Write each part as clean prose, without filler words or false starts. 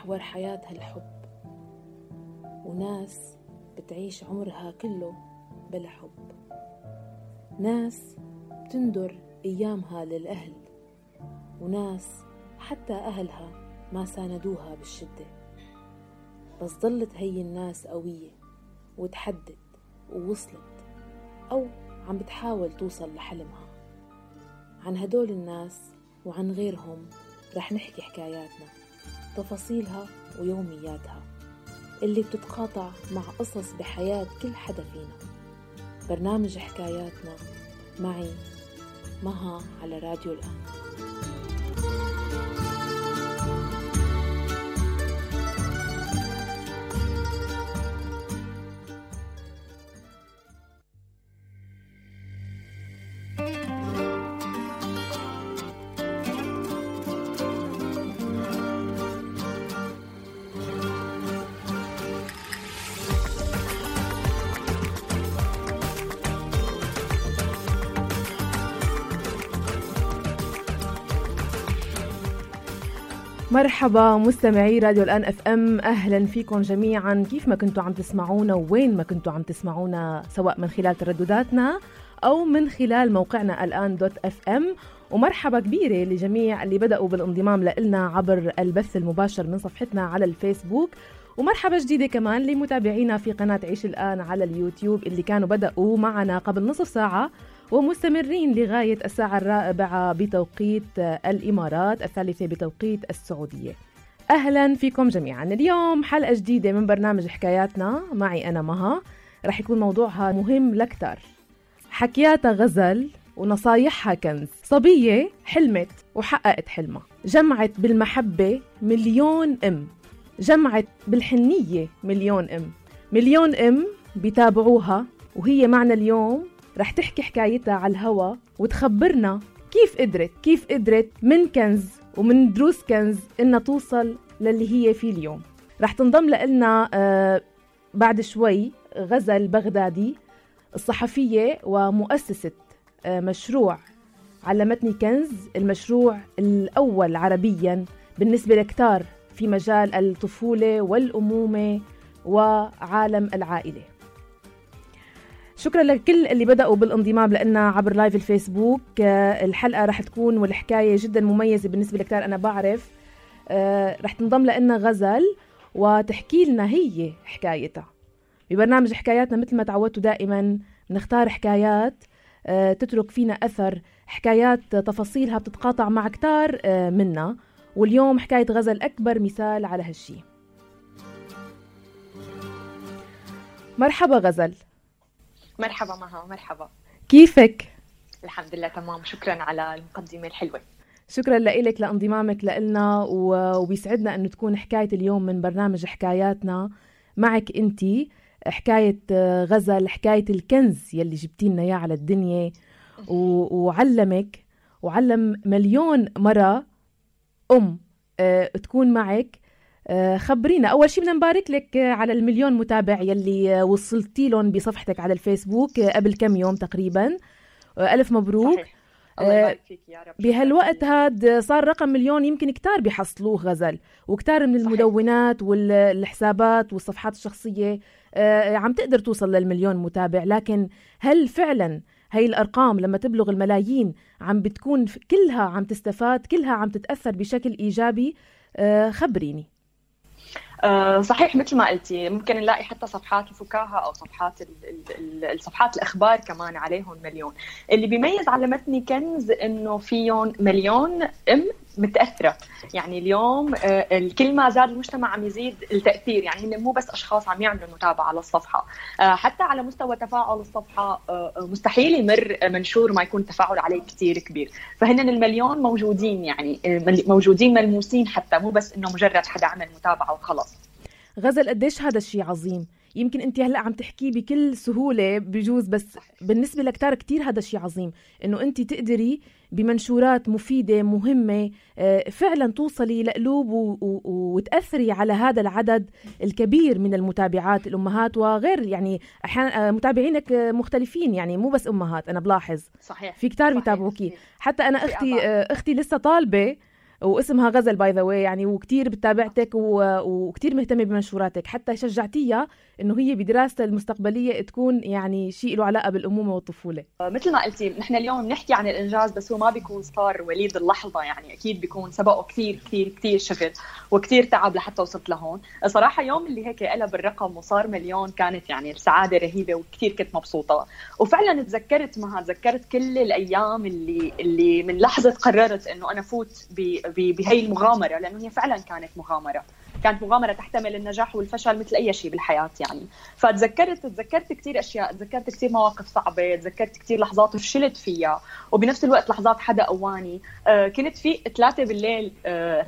محور حياتها الحب، وناس بتعيش عمرها كله بلا حب، ناس بتندر أيامها للأهل، وناس حتى أهلها ما ساندوها بالشدة، بس ظلت هي الناس قوية وتحدت ووصلت أو عم بتحاول توصل لحلمها. عن هدول الناس وعن غيرهم رح نحكي حكاياتنا، تفاصيلها ويومياتها اللي بتتقاطع مع قصص بحياة كل حدا فينا. برنامج حكاياتنا معي مها على راديو الآن. مرحبا مستمعي راديو الآن اف ام، اهلا فيكم جميعا كيف ما كنتوا عم تسمعونا ووين ما كنتوا عم تسمعونا، سواء من خلال تردداتنا او من خلال موقعنا الان.fm. ومرحبا كبيرة لجميع اللي بدأوا بالانضمام لنا عبر البث المباشر من صفحتنا على الفيسبوك، ومرحبا جديدة كمان لمتابعينا في قناة عيش الآن على اليوتيوب اللي كانوا بدأوا معنا قبل نصف ساعة ومستمرين لغاية الساعة 4 بتوقيت الإمارات، 3 بتوقيت السعودية. أهلا فيكم جميعا. اليوم حلقة جديدة من برنامج حكاياتنا معي أنا مها، رح يكون موضوعها مهم لكتر. حكياتها غزل ونصايحها كنز. صبية حلمت وحققت حلمها، جمعت بالمحبة مليون أم، جمعت بالحنية مليون أم، مليون أم بيتابعوها، وهي معنا اليوم رح تحكي حكايتها على الهوا وتخبرنا كيف قدرت من كنز ومن دروس كنز إنها توصل للي هي فيه اليوم. رح تنضم لنا بعد شوي غزل بغدادي، الصحفية ومؤسسة مشروع علمتني كنز، المشروع الأول عربيا بالنسبة لكتار في مجال الطفولة والأمومة وعالم العائلة. شكرا لكل اللي بدأوا بالانضمام لنا عبر لايف الفيسبوك. الحلقة رح تكون والحكاية جدا مميزة بالنسبة لكتار، أنا بعرف. رح تنضم لنا غزل وتحكي لنا هي حكايتها ببرنامج حكاياتنا. مثل ما تعودتوا دائما نختار حكايات تترك فينا أثر، حكايات تفاصيلها بتتقاطع مع كتار منا، واليوم حكاية غزل أكبر مثال على هالشي. مرحبا غزل. مرحبا مها. مرحبا، كيفك؟ الحمد لله تمام، شكرا على المقدمة الحلوة. شكرا لك لانضمامك لنا، وبيسعدنا أنه تكون حكاية اليوم من برنامج حكاياتنا معك أنتي، حكاية غزل، حكاية الكنز يلي جبتينا إياه على الدنيا وعلمك وعلم مليون مرة أم تكون معك. خبرينا أول شيء، بدنا نبارك لك على المليون متابع يلي وصلتي لهم بصفحتك على الفيسبوك قبل كم يوم تقريبا. ألف مبروك. صحيح. الله يبارك فيك يا رب. بهالوقت هاد صار رقم مليون يمكن كتار بيحصلوه غزل، وكتار من المدونات والحسابات والصفحات الشخصية عم تقدر توصل للمليون متابع، لكن هل فعلا هاي الأرقام لما تبلغ الملايين عم بتكون كلها عم تستفاد، كلها عم تتأثر بشكل إيجابي؟ خبريني. صحيح، مثل ما قلتي ممكن نلاقي حتى صفحات الفكاهة أو صفحات الصفحات الأخبار كمان عليهم مليون. اللي بيميز علمتني كنز إنه فيهم مليون أم متأثرة. يعني اليوم كل ما زاد المجتمع عم يزيد التأثير، يعني مو بس أشخاص عم يعملوا متابعة للصفحة، حتى على مستوى تفاعل الصفحة مستحيل يمر منشور ما يكون تفاعل عليه كتير كبير. فهن المليون موجودين، يعني موجودين ملموسين، حتى مو بس إنه مجرد حدا عمل متابعة وخلاص. غزل قديش هذا الشيء عظيم. يمكن انت هلأ عم تحكيه بكل سهولة بجوز، بس بالنسبة لكتار كتير هذا الشيء عظيم، انه انت تقدري بمنشورات مفيدة مهمة فعلا توصلي لقلوب وتأثري على هذا العدد الكبير من المتابعات، الأمهات وغير، يعني أحيانا متابعينك مختلفين، يعني مو بس أمهات، أنا بلاحظ صحيح. في كتار بيتابعوكي. حتى أنا أختي لسه طالبة واسمها غزل باي ذا واي يعني، وكتير بتابعتك وكتير مهتمة بمنشوراتك، حتى شجعتيها إنه هي بدراستها المستقبلية تكون يعني شيء له علاقة بالأمومة والطفولة. مثل ما قلتي نحن اليوم بنحكي عن الإنجاز، بس هو ما بيكون صار وليد اللحظة، يعني أكيد بيكون سبقه كتير كتير كتير شغل وكتير تعب لحتى وصلت لهون. صراحة يوم اللي هيك قلب الرقم وصار مليون كانت يعني السعادة رهيبة وكتير كنت مبسوطة. وفعلا تذكرت كل الأيام اللي من لحظة قررت إنه أنا فوت بهي المغامرة، لأنه هي فعلا كانت مغامرة تحتمل النجاح والفشل مثل أي شيء بالحياة يعني. تذكرت كتير أشياء، تذكرت كتير مواقف صعبة، تذكرت كتير لحظات فشلت فيها، وبنفس الوقت لحظات حدا قواني. كنت في 3 بالليل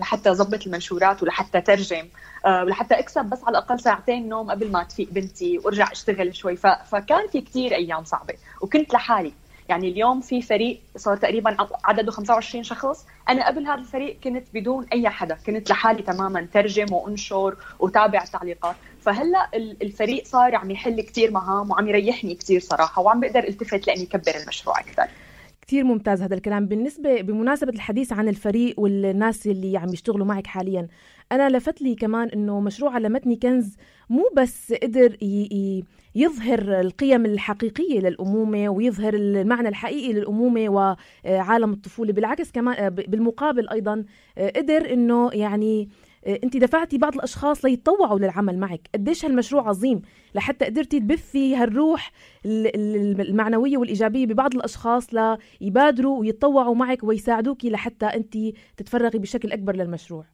لحتى أضبط المنشورات ولحتى ترجم ولحتى أكسب بس على الأقل 2 ساعة نوم قبل ما تفيق بنتي وارجع اشتغل شوي. فكان في كتير أيام صعبة وكنت لحالي. يعني اليوم في فريق صار تقريبا عدده 25 شخص، أنا قبل هذا الفريق كنت بدون أي حدا، كنت لحالي تماما، ترجم وأنشر وتابع التعليقات. فهلأ الفريق صار عم يحل كتير مهام وعم يريحني كتير صراحة، وعم بقدر التفت لأني كبر المشروع أكثر. كتير ممتاز هذا الكلام. بمناسبة الحديث عن الفريق والناس اللي عم يشتغلوا معك حاليا، أنا لفت لي كمان إنه مشروع علمتني كنز مو بس قدر يظهر القيم الحقيقية للأمومة ويظهر المعنى الحقيقي للأمومة وعالم الطفولة، بالعكس كمان بالمقابل أيضا قدر إنه يعني أنت دفعتي بعض الأشخاص ليتطوعوا للعمل معك. قديش هالمشروع عظيم لحتى قدرتي تبثي هالروح المعنوية والإيجابية ببعض الأشخاص ليبادروا ويتطوعوا معك ويساعدوكي لحتى أنت تتفرغي بشكل أكبر للمشروع.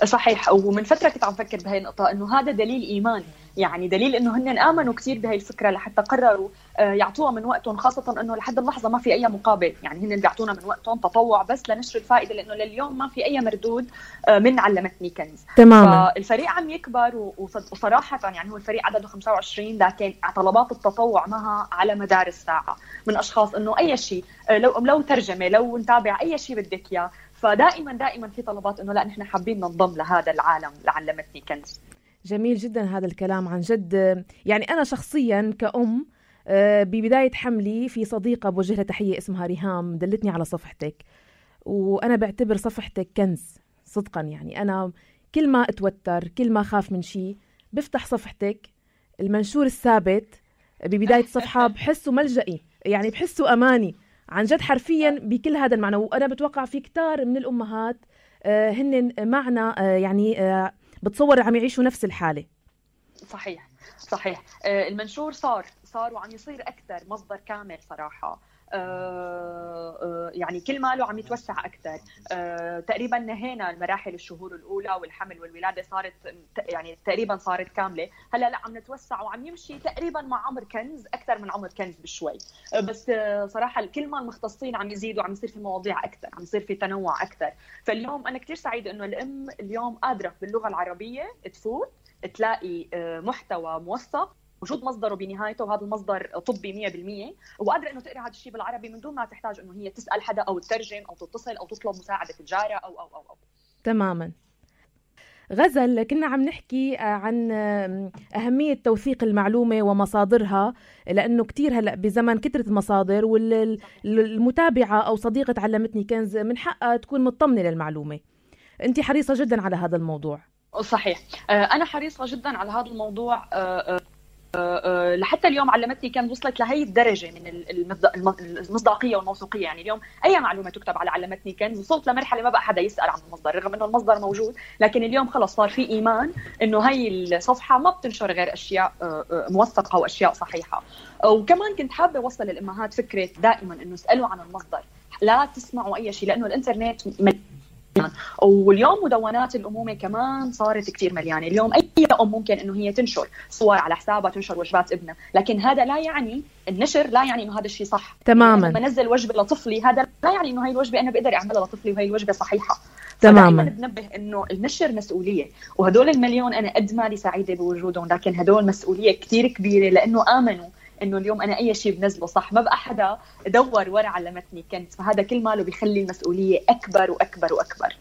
صحيح. ومن فترة كنت عم فكر بهاي النقطة، إنه هذا دليل إيمان، يعني دليل إنه هن آمنوا كتير بهاي الفكرة لحتى قرروا يعطوها من وقتهم، خاصة إنه لحد اللحظة ما في أي مقابل، يعني هن بيعطونا من وقتهم تطوع بس لنشر الفائدة، لأنه لليوم ما في أي مردود من علمتني كنز. تماما. فالفريق عم يكبر وصراحة يعني هو الفريق عدده 25، لكن طلبات التطوع معها على مدار الساعة من أشخاص إنه أي شيء، لو ترجمة، لو نتابع أي شيء بدك إياه. فدائما في طلبات إنه لا نحن حابين ننضم لهذا العالم لعلمتني كنز. جميل جدا هذا الكلام عن جد. يعني أنا شخصيا كأم ببداية حملي في صديقة بوجه لها تحية اسمها ريهام دلتني على صفحتك، وأنا بعتبر صفحتك كنز صدقا. يعني أنا كل ما أتوتر، كل ما خاف من شيء، بفتح صفحتك، المنشور الثابت ببداية الصفحة بحسه ملجئي، يعني بحسه أماني عن جد حرفيا بكل هذا المعنى. وأنا بتوقع في كتار من الأمهات هن معنا يعني بتصور عم يعيشوا نفس الحالة. صحيح. المنشور صار وعم يصير أكثر مصدر كامل صراحة. يعني كل ماله عم يتوسع أكثر. تقريبا نهينا المراحل الشهور الأولى والحمل والولادة، صارت يعني تقريبا صارت كاملة. هلا لا عم نتوسع وعم يمشي تقريبا مع عمر كنز، أكثر من عمر كنز بشوي. بس صراحة كل ما المختصين عم يزيدوا، عم يصير في مواضيع أكثر، عم يصير في تنوع أكثر. فاليوم أنا كتير سعيدة إنه الأم اليوم قادرة باللغة العربية تفوت تلاقي محتوى موثق وجود مصدره بنهايته، وهذا المصدر طبي 100%، وقادرة إنه تقرأ هذا الشيء بالعربي من دون ما تحتاج إنه هي تسأل حدا أو تترجم أو تتصل أو تطلب مساعدة الجارة أو. تماماً. غزل، كنا عم نحكي عن أهمية توثيق المعلومة ومصادرها، لأنه كتير هلأ بزمن كترة المصادر، والمتابعة أو صديقة علمتني كنز من حقها تكون مطمنة للمعلومة. أنت حريصة جدا على هذا الموضوع. صحيح. أنا حريصة جدا على هذا الموضوع. لحتى اليوم علمتني كان وصلت لهي الدرجة من المصداقية والموثوقية. يعني اليوم أي معلومة تكتب على علمتني كنز وصلت لمرحلة ما بقى حدا يسأل عن المصدر، رغم إنه المصدر موجود، لكن اليوم خلص صار في إيمان إنه هي الصفحة ما بتنشر غير أشياء موثقة وأشياء صحيحة. وكمان كنت حابة أوصل للأمهات فكرة دائما إنه اسألوا عن المصدر، لا تسمعوا أي شيء، لأنه الإنترنت واليوم مدونات الأمومة كمان صارت كتير مليانة. اليوم أي أم ممكن إنه هي تنشر صور على حسابها، تنشر وجبات ابنها، لكن هذا لا يعني النشر لا يعني إنه هذا الشيء صح تماما. يعني لما نزل وجبة لطفلي هذا لا يعني إنه هاي الوجبة أنا بقدر أعملها لطفلي وهي الوجبة صحيحة. تماما. بنبه إنه النشر مسؤولية، وهدول المليون أنا قد ما لي سعيدة بوجودهم، لكن هدول مسؤولية كتير كبيرة، لأنه آمنوا إنه اليوم أنا أي شيء بنزله صح، ما بقى حدا دور ورا علمتني كنز. فهذا كل ماله بيخلي المسؤولية أكبر وأكبر وأكبر.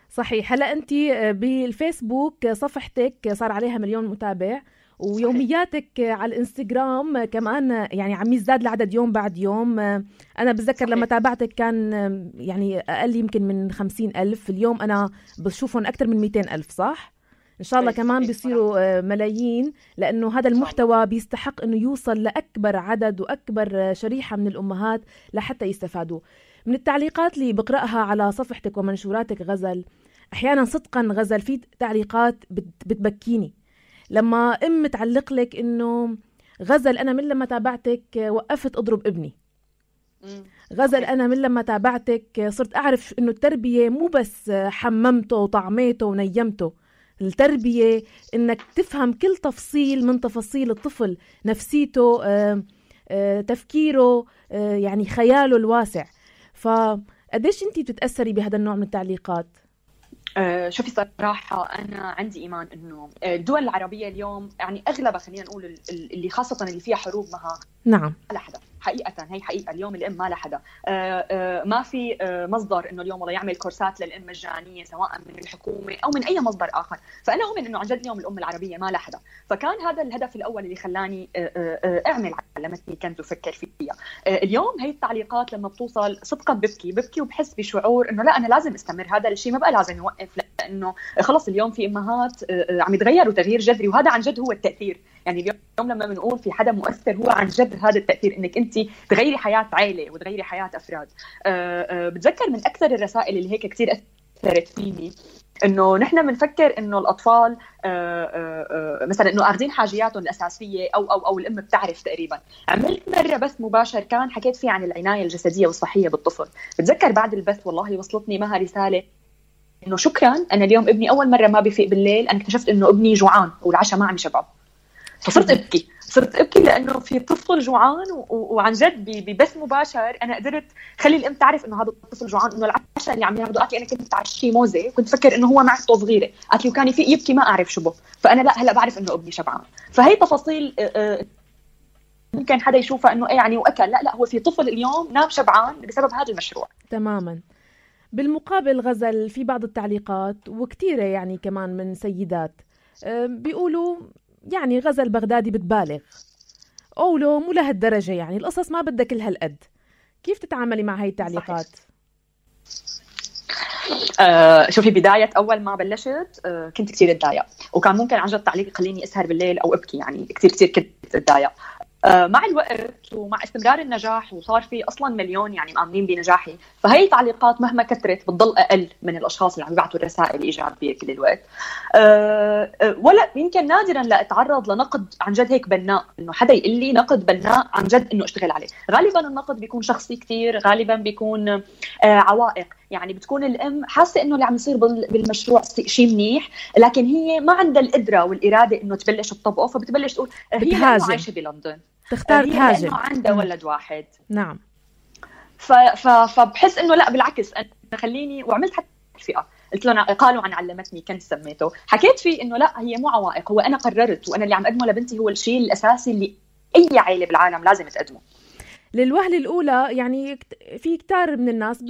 صحيح. هلا أنت بالفيسبوك صفحتك صار عليها 1,000,000 متابع، ويومياتك على الانستغرام كمان يعني عم يزداد العدد يوم بعد يوم. أنا بتذكر لما تابعتك كان يعني أقل يمكن من 50,000، اليوم أنا بشوفهم أكتر من 200,000 صح؟ إن شاء الله كمان بيصيروا ملايين، لأنه هذا المحتوى بيستحق أنه يوصل لأكبر عدد وأكبر شريحة من الأمهات لحتى يستفادوا. من التعليقات اللي بقرأها على صفحتك ومنشوراتك غزل، أحيانا صدقا غزل في تعليقات بتبكيني لما تعلق لك إنه غزل أنا من لما تابعتك وقفت أضرب ابني. غزل أنا من لما تابعتك صرت أعرف إنه التربية مو بس حممته وطعميته ونيمته، التربية إنك تفهم كل تفصيل من تفاصيل الطفل، نفسيته، تفكيره، يعني خياله الواسع. فقديش أنتي بتتأثري بهذا النوع من التعليقات؟ شوفي صراحة أنا عندي إيمان إنه الدول العربية اليوم يعني أغلبها خلينا نقول اللي خاصة اللي فيها حروب معها نعم لا حدا حقيقة، هي حقيقة اليوم الأم ما لها حدا. ما في مصدر إنه اليوم والله يعمل كورسات للأم مجانية سواء من الحكومة أو من أي مصدر آخر. فأنا أؤمن إنه عن جد اليوم الأم العربية ما لها حدا. فكان هذا الهدف الأول اللي خلاني أعمل علمتني كنز وفكر فيها. اليوم هي التعليقات لما بتوصل صدقا ببكي وبحس بشعور إنه لا أنا لازم استمر هذا الشيء، ما بقى لازم نوقف، لأنه خلص اليوم في أمهات عم يتغيروا تغيير جذري، وهذا عن جد هو التأثير. يعني اليوم لما بنقول في حدا مؤثر هو عن جد هذا التأثير، إنك أنت تغيري حياة عائلة وتغيري حياة أفراد. بتذكر من أكثر الرسائل اللي هيك كتير أثرت فيني إنه نحن بنفكر إنه الأطفال مثلا إنه أخذين حاجياتهم الأساسية أو الأم بتعرف تقريبا. عملت مرة بث مباشر كان حكيت فيه عن العناية الجسدية والصحية بالطفل. بتذكر بعد البث والله وصلتني معها رسالة إنه شكرا أنا اليوم ابني أول مرة ما بيفيق بالليل، أنا اكتشفت إنه ابني جوعان والعشاء ما عم يشبعه. فصرت أبكي لأنه في طفل جوعان وعن جد ببث مباشر أنا قدرت خلي الأم تعرف إنه هذا الطفل جوعان، إنه العشاء اللي عم ياخده. قالت لي أنا كنت تعشي موزة كنت فكر إنه هو معدته صغيرة، قالت لي وكان يفيق يبكي ما أعرف شو به، فأنا لا هلا بعرف إنه ابني شبعان. فهي تفاصيل ممكن حدا يشوفها إنه إيه يعني وأكل، لا هو في طفل اليوم نام شبعان بسبب هذا المشروع. تماما. بالمقابل غزل في بعض التعليقات وكتيرة يعني كمان من سيدات بيقولوا يعني غزل بغدادي بتبالغ، قولوا مو لهالدرجة، يعني القصص ما بدها كل هالقد. كيف تتعاملي مع هاي التعليقات؟ شوفي بداية أول ما بلشت كنت كتير اتضايق، وكان ممكن عن جد تعليق يخليني أسهر بالليل أو أبكي، يعني كتير كنت اتضايق. مع الوقت ومع استمرار النجاح وصار في أصلاً مليون يعني مآمنين بنجاحي، فهي تعليقات مهما كثرت بتضل أقل من الأشخاص اللي عم يبعثوا الرسائل إيجابية كل الوقت. ولا يمكن نادراً لا أتعرض لنقد عن جد هيك بناء، إنه حدا يقول لي نقد بناء عن جد إنه أشتغل عليه. غالباً النقد بيكون شخصي كتير، غالباً بيكون عوائق، يعني بتكون الأم حاسة إنه اللي عم يصير بالمشروع شيء منيح، لكن هي ما عندها القدرة والإرادة إنه تبلش تطبقه، فبتبلش تقول هي عايشة بلندن تختار تهاجم لأنه عنده ولد واحد. نعم. فبحس إنه لا بالعكس، أنا خليني وعملت حتى فئة قلت لهم قالوا عن علمتني كنز سميته، حكيت فيه إنه لا هي مو عوائق، هو أنا قررت وأنا اللي عم أقدمه لبنتي هو الشيء الأساسي اللي أي عائلة بالعالم لازم تقدمه. للوهلة الأولى يعني في كتار من الناس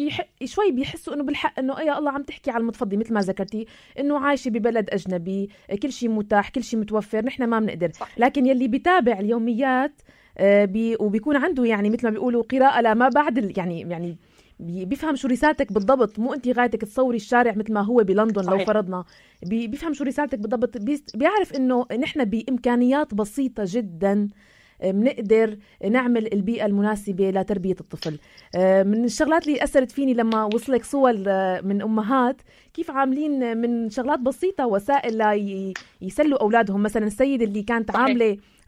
شوي بيحسوا إنه بالحق إنه يا الله عم تحكي على المتفضي مثل ما ذكرتي إنه عايشة ببلد أجنبي، كل شيء متاح، كل شيء متوفر، نحن ما بنقدر. لكن يلي بيتابع اليوميات وبيكون عنده يعني مثل ما بيقولوا قراءة لما بعد يعني بيفهم شو رسالتك بالضبط. مو أنت غايتك تصوري الشارع مثل ما هو بلندن صحيح. لو فرضنا بيفهم شو رسالتك بالضبط، بيعرف إنه نحن بإمكانيات بسيطة جدا بنقدر نعمل البيئة المناسبة لتربية الطفل. من الشغلات اللي أثرت فيني لما وصلك صور من أمهات كيف عاملين من شغلات بسيطة وسائل يسلوا أولادهم. مثلا السيدة اللي كانت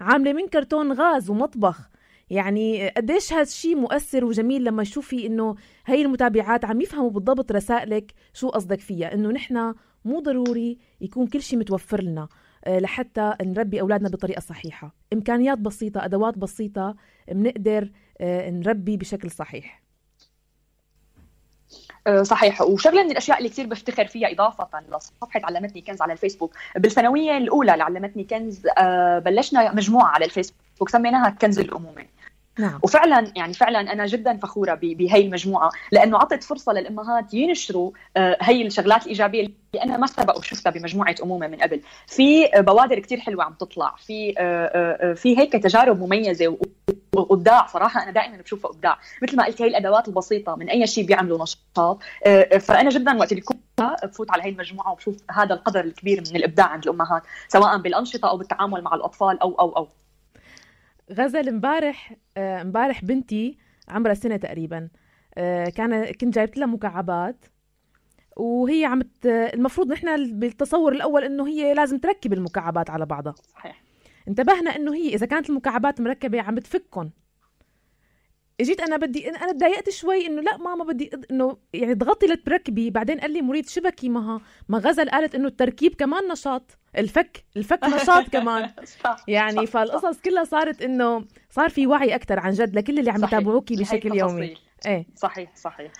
عاملة من كرتون غاز ومطبخ، يعني قديش هذا الشيء مؤثر وجميل لما يشوفي إنه هاي المتابعات عم يفهموا بالضبط رسائلك شو قصدك فيها، إنه نحن مو ضروري يكون كل شيء متوفر لنا لحتى نربي أولادنا بطريقة صحيحة. إمكانيات بسيطة، أدوات بسيطة، بنقدر نربي بشكل صحيح. صحيح. وشغله من الاشياء اللي كثير بفتخر فيها اضافه لصفحه علمتني كنز على الفيسبوك، بالثانويه الاولى لعلمتني كنز بلشنا مجموعه على الفيسبوك سميناها كنز الامومه. نعم. وفعلا يعني فعلا انا جدا فخوره بهي المجموعه، لانه عطت فرصه للامهات ينشروا هي الشغلات الايجابيه اللي انا ما سبق وشفتها بمجموعه امومه من قبل. في بوادر كتير حلوه عم تطلع، في هيك تجارب مميزه وابداع. صراحه انا دائما بشوفها ابداع، مثل ما قلت هي الادوات البسيطه من اي شيء بيعملوا نشاط. فانا جدا وقت اللي كنت بفوت على هي المجموعه وبشوف هذا القدر الكبير من الابداع عند الامهات، سواء بالانشطه او بالتعامل مع الاطفال او غزل، امبارح بنتي عمرها سنة تقريبا، كنت جايبت لها مكعبات، وهي المفروض نحن بالتصور الأول إنه هي لازم تركب المكعبات على بعضها. صحيح. انتبهنا إنه هي إذا كانت المكعبات مركبة عم بتفكن. اجيت انا تضايقت شوي انه لا ماما بدي انه يعني ضغطي لتركبي. بعدين قال لي مريد شبكي ما غزل قالت انه التركيب كمان نشاط، الفك نشاط كمان. يعني فالقصص كلها صارت انه صار في وعي اكثر عن جد لكل اللي عم يتابعوكي بشكل يومي. ايه صحيح.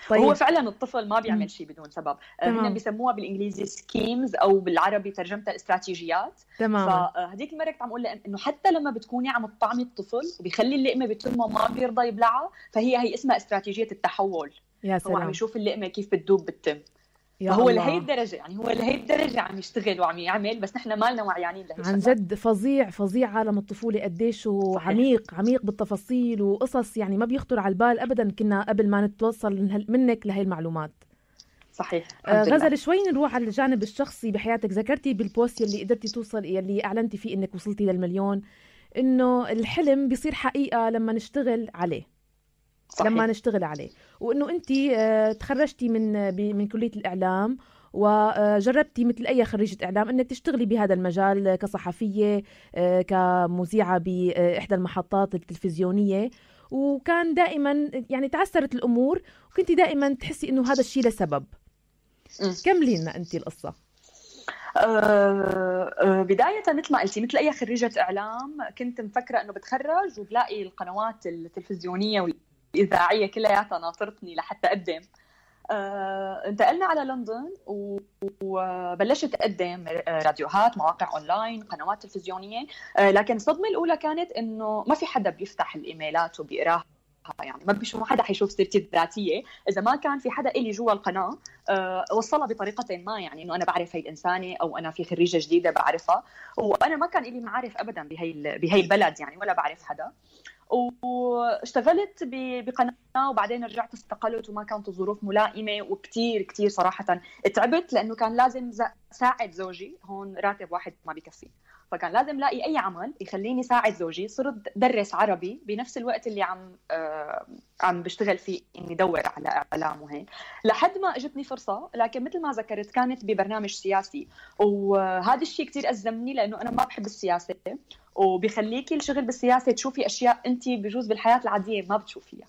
طيب. هو فعلا الطفل ما بيعمل شيء بدون سبب. هن بيسموها بالانجليزي سكيمز او بالعربي ترجمتها استراتيجيات. تمام. فهديك المره كنت عم اقول انه حتى لما بتكوني عم تطعمي الطفل وبيخلي اللقمه بتمه ما بيرضى يبلعها، فهي اسمها استراتيجيه التحول. يا سلام. هو عم يشوف اللقمه كيف بتدوب بالتم. فهو لهي الدرجه، يعني هو لهي الدرجه عم يشتغل وعم يعمل، بس نحن ما لنا وعيانين لهي. عن جد فظيع عالم الطفوله، قديش عميق بالتفاصيل وقصص يعني ما بيخطر على البال ابدا كنا قبل ما نتوصل منك لهي المعلومات. صحيح. غزل، شوي نروح على الجانب الشخصي بحياتك. ذكرتي بالبوست يلي قدرتي توصل يلي اعلنتي فيه انك وصلتي للمليون، انه الحلم بيصير حقيقه لما نشتغل عليه. صحيح. لما نشتغل عليه، وانه انت تخرجتي من كليه الاعلام وجربتي مثل اي خريجه اعلام انك تشتغلي بهذا المجال كصحفيه، كمذيعه باحدى المحطات التلفزيونيه، وكان دائما يعني تعثرت الامور وكنتي دائما تحسي انه هذا الشيء لسبب. كملي لنا انت القصه. بداية مثل ما قلتي، مثل أي خريجة إعلام كنت مفكرة أنه بتخرج وبلاقي القنوات التلفزيونية والإذاعية كلها ناطرتني لحتى أقدم. انتقلنا على لندن وبلشت أقدم راديوهات، مواقع أونلاين، قنوات تلفزيونية. لكن الصدمة الأولى كانت أنه ما في حدا بيفتح الإيميلات وبيقراها، يعني ما بيشوف حدا حيشوف سيرتي الذاتيه اذا ما كان في حدا إلي جوا القناه وصلها بطريقه ما، يعني انه انا بعرف هي الانسانه او انا في خريجه جديده بعرفها، وانا ما كان إلي معارف ابدا بهي البلد يعني، ولا بعرف حدا. واشتغلت بقناه وبعدين رجعت استقلت وما كانت الظروف ملائمه، وكتير صراحه تعبت لانه كان لازم ساعد زوجي. هون راتب واحد ما بيكفي، فكان لازم لاقي اي عمل يخليني ساعد زوجي. صرت درس عربي بنفس الوقت اللي عم بشتغل فيه اني ادور على اعلام وهيك، لحد ما اجتني فرصه. لكن مثل ما ذكرت كانت ببرنامج سياسي، وهذا الشيء كتير أزمني لانه انا ما بحب السياسه، وبيخليكي الشغل بالسياسه تشوفي اشياء انت بجوز بالحياه العاديه ما بتشوفيها،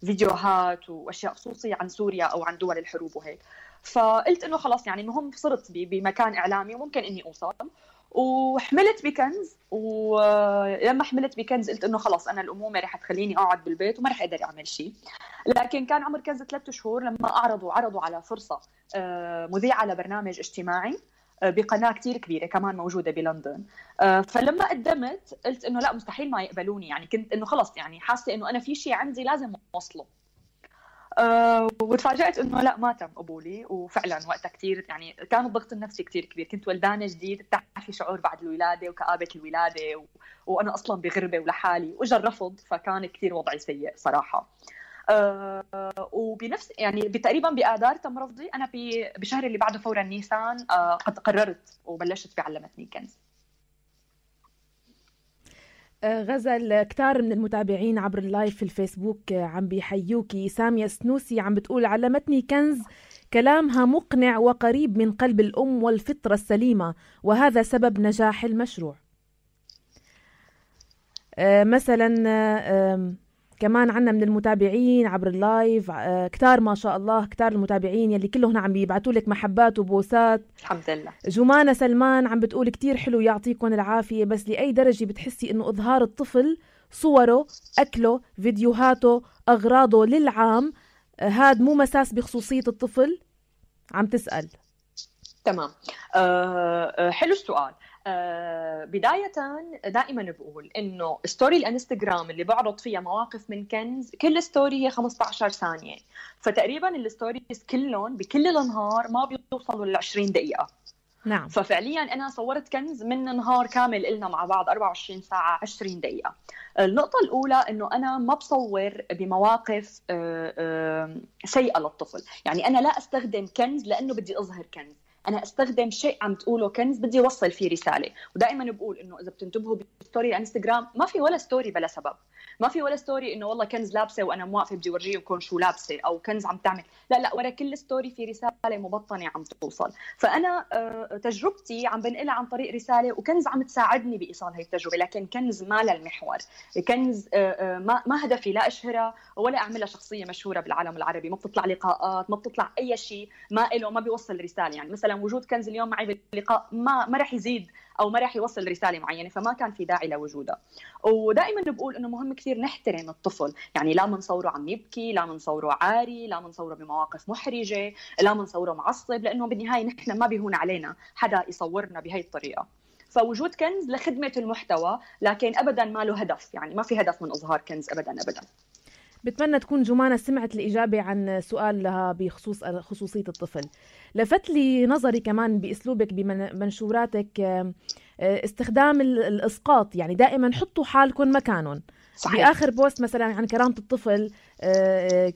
فيديوهات واشياء خصوصيه عن سوريا او عن دول الحروب وهيك. فقلت انه خلاص يعني المهم صرت بمكان اعلامي وممكن اني اوصل. وحملت بكنز، ولما حملت بكنز قلت انه خلاص انا الامومه رح تخليني اقعد بالبيت وما رح اقدر اعمل شيء. لكن كان عمر كنز 3 شهور لما عرضوا على فرصه مذيعه لبرنامج اجتماعي بقناه كتير كبيره كمان موجوده بلندن. فلما قدمت قلت انه لا مستحيل ما يقبلوني، يعني كنت انه خلص يعني حاسه انه انا في شيء عندي لازم اوصله. وتفاجأت انه لا ما تم قبولي. وفعلا وقتها كثير يعني كان الضغط النفسي كثير كبير، كنت ولدانه جديد، بتعرفي شعور بعد الولاده وكآبه الولاده وانا اصلا بغربه ولحالي، واجا الرفض، فكان كثير وضعي سيء صراحه. وبنفس يعني تقريبا بآذار تم رفضي. انا بشهر اللي بعده فورا نيسان قد قررت وبلشت بعلمتني كنز. غزل، كتار من المتابعين عبر اللايف في الفيسبوك عم بيحيوكي. سامية سنوسي عم بتقول علمتني كنز كلامها مقنع وقريب من قلب الأم والفطرة السليمة، وهذا سبب نجاح المشروع. مثلا كمان عنا من المتابعين عبر اللايف كتار ما شاء الله، كتار المتابعين يلي كلهم عم بيبعتوا لك محبات وبوسات. الحمد لله. جمانة سلمان عم بتقول كتير حلو يعطيكم العافية، بس لأي درجة بتحسي إنه إظهار الطفل صوره، أكله، فيديوهاته، أغراضه للعام هاد مو مساس بخصوصية الطفل؟ عم تسأل. تمام. حلو السؤال. بداية دائما بقول إنه ستوري الانستغرام اللي بعرض فيها مواقف من كنز، كل ستوري هي 15 ثانية، فتقريبا الستوريز كلهم بكل النهار ما بيوصلوا ل 20 دقيقة. نعم. ففعليا أنا صورت كنز من نهار كامل إلنا مع بعض 24 ساعة 20 دقيقة. النقطة الأولى إنه أنا ما بصور بمواقف سيئة للطفل، يعني أنا لا أستخدم كنز لأنه بدي أظهر كنز، أنا أستخدم شيء عم تقوله كنز بدي أوصل فيه رسالة. ودائما بقول إنه إذا بتنتبهوا بستوري انستغرام ما في ولا ستوري بلا سبب، ما في ولا ستوري إنه والله كنز لابسة وأنا موقفة بدي أورجيكم شو لابسة، أو كنز عم تعمل، لا ورا كل ستوري في رسالة مبطنة عم توصل. فأنا تجربتي عم بنقلها عن طريق رسالة، وكنز عم تساعدني بإيصال هاي التجربة، لكن كنز ما للمحور. كنز ما هدفي لا أشهرها ولا أعملها شخصية مشهورة بالعالم العربي، ما بتطلع لقاءات، ما بتطلع أي شيء ما إله، ما بيوصل رسالة. يعني مثلا وجود كنز اليوم معي باللقاء ما رح يزيد أو ما رح يوصل رسالة معينة، فما كان في داعي لوجودها. ودائما بقول إنه مهم كثير نحترم الطفل، يعني لا منصوره عم يبكي، لا منصوره عاري، لا منصوره بمواقف محرجة، لا منصوره معصب، لأنه بالنهاية نحن ما بيهون علينا حدا يصورنا بهاي الطريقة. فوجود كنز لخدمة المحتوى، لكن أبدا ما له هدف، يعني ما في هدف من إظهار كنز أبدا. بتمنى تكون جمانة سمعت الإجابة عن سؤال لها بخصوص خصوصية الطفل. لفت لي نظري كمان بأسلوبك بمنشوراتك استخدام الإسقاط، يعني دائما حطوا حالكم مكانهم. صحيح. بآخر بوست مثلا عن كرامة الطفل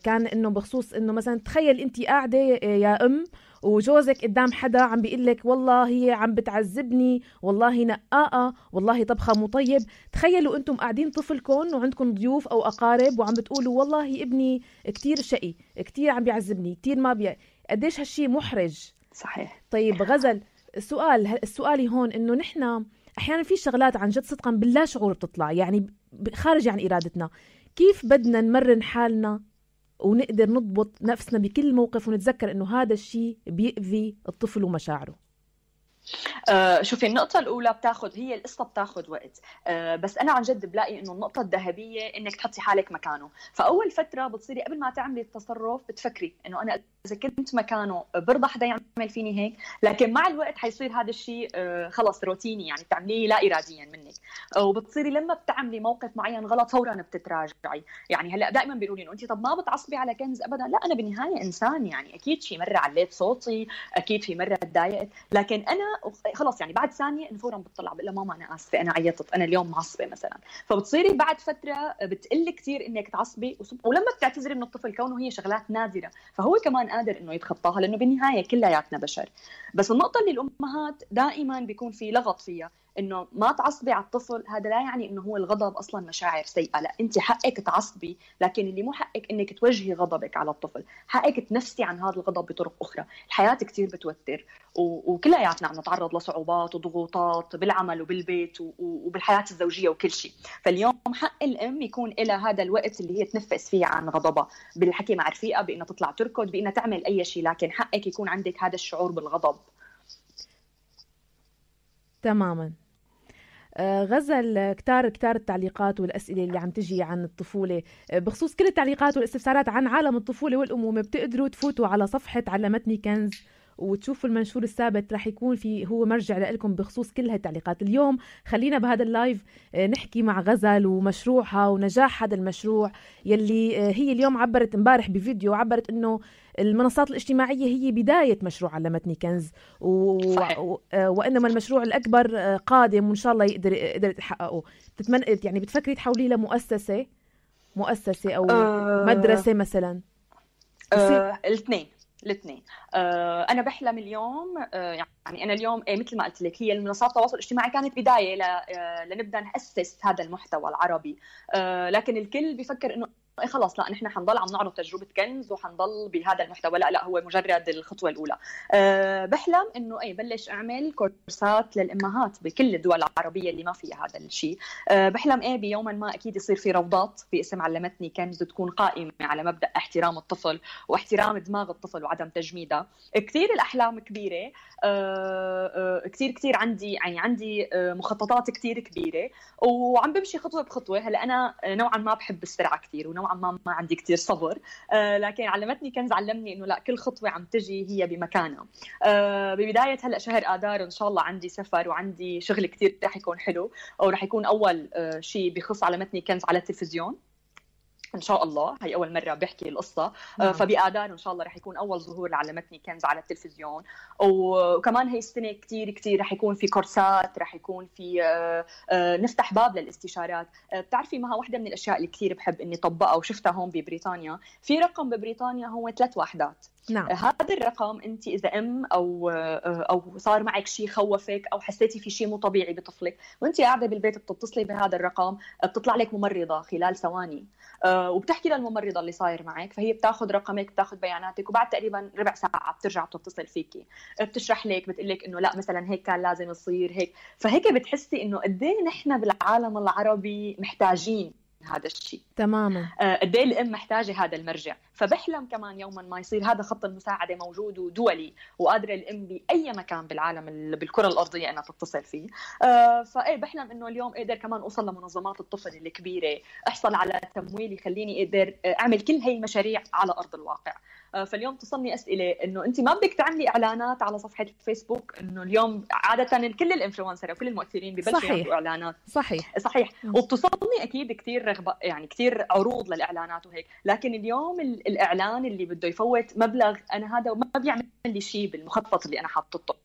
كان إنه بخصوص إنه مثلا تخيل أنت قاعدة يا أم وجوزك قدام حدا عم بيقلك والله هي عم بتعذبني، والله نقاقة، والله طبخة مو طيب. تخيلوا أنتم قاعدين طفلكم وعندكم ضيوف أو أقارب وعم بتقولوا والله ابني كتير شقي، كتير عم بيعذبني، كتير ما قديش هالشي محرج. صحيح. طيب غزل، السؤال هون إنه نحن أحيانا في شغلات عن جد صدقا باللا شعور بتطلع، يعني خارج عن إرادتنا. كيف بدنا نمرن حالنا ونقدر نضبط نفسنا بكل موقف ونتذكر إنه هذا الشيء بيأذي الطفل ومشاعره؟ شوفي، النقطة الأولى هي القصة بتاخد وقت، بس أنا عن جد بلاقي إنه النقطة الذهبية إنك تحطي حالك مكانه. فأول فترة بتصيري قبل ما تعملي التصرف بتفكري إنه أنا إذا كنت مكانه برضى حدا يعمل فيني هيك، لكن مع الوقت حيصير هذا الشيء خلص روتيني، يعني بتعمليه لا إراديا منك، وبتصيري لما بتعملي موقف معين غلط فورا بتتراجعي. يعني هلا دائما بيقولوا لي إنه أنت طب ما بتعصبي على كنز أبدا؟ لا، أنا بالنهاية إنسان، يعني أكيد في مرة عليت صوتي، أكيد في مرة تضايقت، لكن أنا خلص يعني بعد ثانية إنه فورا بتطلع بقول لها ماما أنا آسفة، أنا عيطت، أنا اليوم معصبة مثلا. فبتصيري بعد فترة بتقل كثير إنك تعصبي، ولما بتعتذري من الطفل كونه هي شغلات نادرة فهو كمان قادر إنه يتخطاها، لأنه بالنهاية كلياتنا بشر. بس النقطة اللي الأمهات دائما بيكون في لغط فيها إنه ما تعصبي على الطفل، هذا لا يعني إنه هو الغضب أصلا مشاعر سيئة، لا، أنت حقك تعصبي، لكن اللي مو حقك إنك توجهي غضبك على الطفل، حقك تنفسي عن هذا الغضب بطرق أخرى. الحياة كتير بتوتر، وكلياتنا عم نتعرض لصعوبات وضغوطات بالعمل وبالبيت وبالحياة الزوجية وكل شيء. فاليوم حق الأم يكون لها هذا الوقت اللي هي تنفس فيه عن غضبها، بالحكي مع رفيقة، بإنها تطلع تركض، بإنها تعمل أي شيء، لكن حقك يكون عندك هذا الشعور بالغضب. تماما. غزل، كتار التعليقات والأسئلة اللي عم تجي عن الطفولة بخصوص كل التعليقات والاستفسارات عن عالم الطفولة والأمومة. بتقدروا تفوتوا على صفحة علمتني كنز وتشوفوا المنشور الثابت، رح يكون هو مرجع لكم بخصوص كل هاي التعليقات. اليوم خلينا بهذا اللايف نحكي مع غزل ومشروعها ونجاح هذا المشروع يلي هي اليوم عبرت امبارح بفيديو، عبرت انه المنصات الاجتماعية هي بداية مشروع علمتني كنز وإنما المشروع الأكبر قادم وإن شاء الله يقدر تحققه. يعني بتفكري تحوليه لمؤسسة أو مدرسة مثلا؟ الاثنين. أنا بحلم اليوم، يعني أنا اليوم مثل ما قلت لك، هي المنصات التواصل الاجتماعي كانت بداية لنبدأ نأسس هذا المحتوى العربي، لكن الكل بيفكر إنه خلاص لا، نحن حنضل عم نعرض تجربة كنز وحنضل بهذا المحتوى. لا، هو مجرد الخطوة الأولى. بحلم إنه بلش أعمل كورسات للأمهات بكل الدول العربية اللي ما فيها هذا الشيء. بحلم بيوما ما أكيد يصير في روضات باسم علمتني كنز تكون قائمة على مبدأ احترام الطفل واحترام دماغ الطفل وعدم تجميدها. كثير الأحلام كبيرة، كثير عندي مخططات كثير كبيرة، وعم بمشي خطوة بخطوة. هلا أنا نوعا ما بحب السرعة كثير، ونوعا نوعا ما عندي كتير صبر، لكن علمتني كنز علمني إنه لا، كل خطوة عم تجي هي بمكانها. ببداية هلأ شهر آذار إن شاء الله عندي سفر وعندي شغل كتير رح يكون حلو، أو رح يكون أول شيء بخص علمتني كنز على التلفزيون إن شاء الله. هي أول مرة بحكي القصة. فبآذار إن شاء الله رح يكون أول ظهور لعلمتني كنز على التلفزيون. وكمان هي السنة كتير رح يكون في كورسات، رح يكون في نفتح باب للاستشارات. بتعرفي مها واحدة من الأشياء اللي كتير بحب إني طبقها وشفتها هون ببريطانيا، في رقم ببريطانيا هو 3 وحدات. نعم. هذا الرقم انت اذا او صار معك شيء خوفك او حسيتي في شيء مو طبيعي بطفلك وانت قاعده بالبيت بتتصلي بهذا الرقم، بتطلع لك ممرضه خلال ثواني وبتحكي للممرضه اللي صاير معك، فهي بتاخذ رقمك بتاخذ بياناتك وبعد تقريبا ربع ساعه بترجع بتتصل فيكي، بتشرح لك بتقول لك انه لا مثلا هيك كان لازم يصير هيك. فهيك بتحسي انه قد ايه نحن بالعالم العربي محتاجين هذا الشيء تماما. قد ايه الام محتاجه هذا المرجع. فبحلم كمان يوما ما يصير هذا خط المساعده موجود ودولي وقادره الام باي مكان بالعالم بالكره الارضيه انها تتصل فيه. فايه بحلم انه اليوم اقدر كمان اوصل لمنظمات الطفل الكبيره، احصل على تمويل يخليني اقدر اعمل كل هي المشاريع على ارض الواقع. فاليوم تصلني اسئله انه انت ما بدك تعملي اعلانات على صفحه الفيسبوك، انه اليوم عاده كل الانفلونسر وكل المؤثرين ببلشوا يعملوا اعلانات. صحيح. وبتصلني اكيد كثير رغبه، يعني كثير عروض للاعلانات وهيك، لكن اليوم الاعلان اللي بده يفوت مبلغ انا هذا ما بيعمل لي شيء بالمخطط اللي انا حاطته.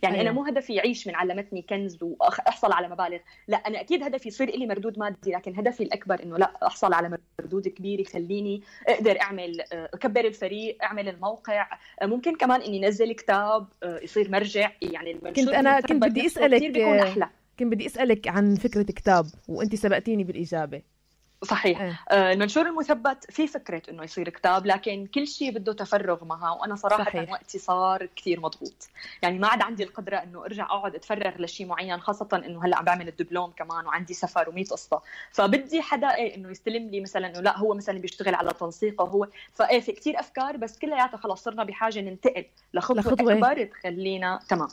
يعني أنا مو هدفي يعيش من علمتني كنز وأحصل على مبالغ، لا أنا أكيد هدفي يصير لي مردود مادي، لكن هدفي الأكبر إنه لا أحصل على مردود كبير يخليني أقدر أعمل أكبر الفريق، أعمل الموقع، ممكن كمان إني نزل كتاب يصير مرجع. يعني كنت بدي أسألك عن فكرة كتاب وأنت سبقتيني بالإجابة. صحيح. المنشور المثبت في فكرة إنه يصير كتاب، لكن كل شيء بده تفرغ معها، وأنا صراحة صحيح. وقتي صار كتير مضغوط، يعني ما عاد عندي القدرة إنه أرجع أقعد أتفرغ لشيء معين، خاصة إنه هلأ عم بعمل الدبلوم كمان وعندي سفر و100 قصة. فبدي حدا إنه يستلم لي مثلا إنه لا هو مثلا بيشتغل على تنسيقه هو، في كتير أفكار بس كلياتها خلاص صرنا بحاجة ننتقل لخطوة أكبر تخلينا تمام.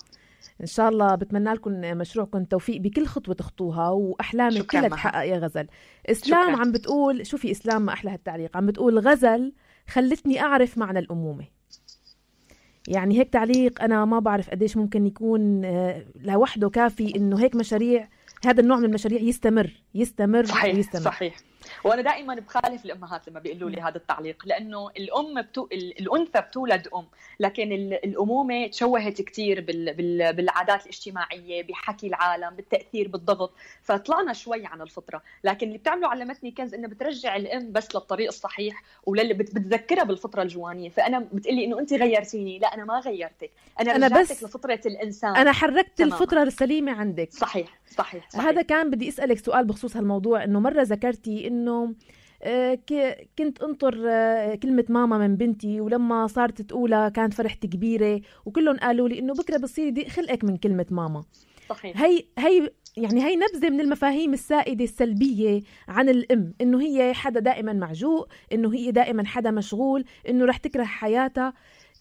إن شاء الله بتمنى لكم مشروعكم توفيق بكل خطوة تخطوها وأحلامك كلها تحقق يا غزل. إسلام عم بتقول، شوفي إسلام ما أحلى هالتعليق، عم بتقول غزل خلتني أعرف معنى الأمومة. يعني هيك تعليق أنا ما بعرف قديش ممكن يكون لوحده كافي إنه هيك مشاريع، هذا النوع من المشاريع يستمر صحيح ويستمر. صحيح. وانا دائما بخالف الامهات لما بيقولوا لي هذا التعليق، لانه الانثى بتولد لكن الامومه تشوهت كثير بالعادات الاجتماعيه، بحكي العالم، بالتاثير، بالضغط، فطلعنا شوي عن الفطره. لكن اللي بتعمله علمتني كنز انه بترجع الام بس للطريق الصحيح وللي بتذكرها بالفطره الجوانيه. فانا بتقلي انه انت غيرتيني، لا انا ما غيرتك، انا رجعتك لفطره الانسان، انا حركت الفطره السليمه عندك. صحيح. هذا كان بدي اسالك سؤال بخصوص هالموضوع، انه مره ذكرتي انه كنت انطر كلمة ماما من بنتي، ولما صارت تقولها كانت فرحتي كبيرة، وكلهم قالوا لي انه بكرة بصير خلقك من كلمة ماما. صحيح. هي نبذة من المفاهيم السائدة السلبية عن الام، انه هي حدا دائما معجوق، انه هي دائما حدا مشغول، انه رح تكره حياتها.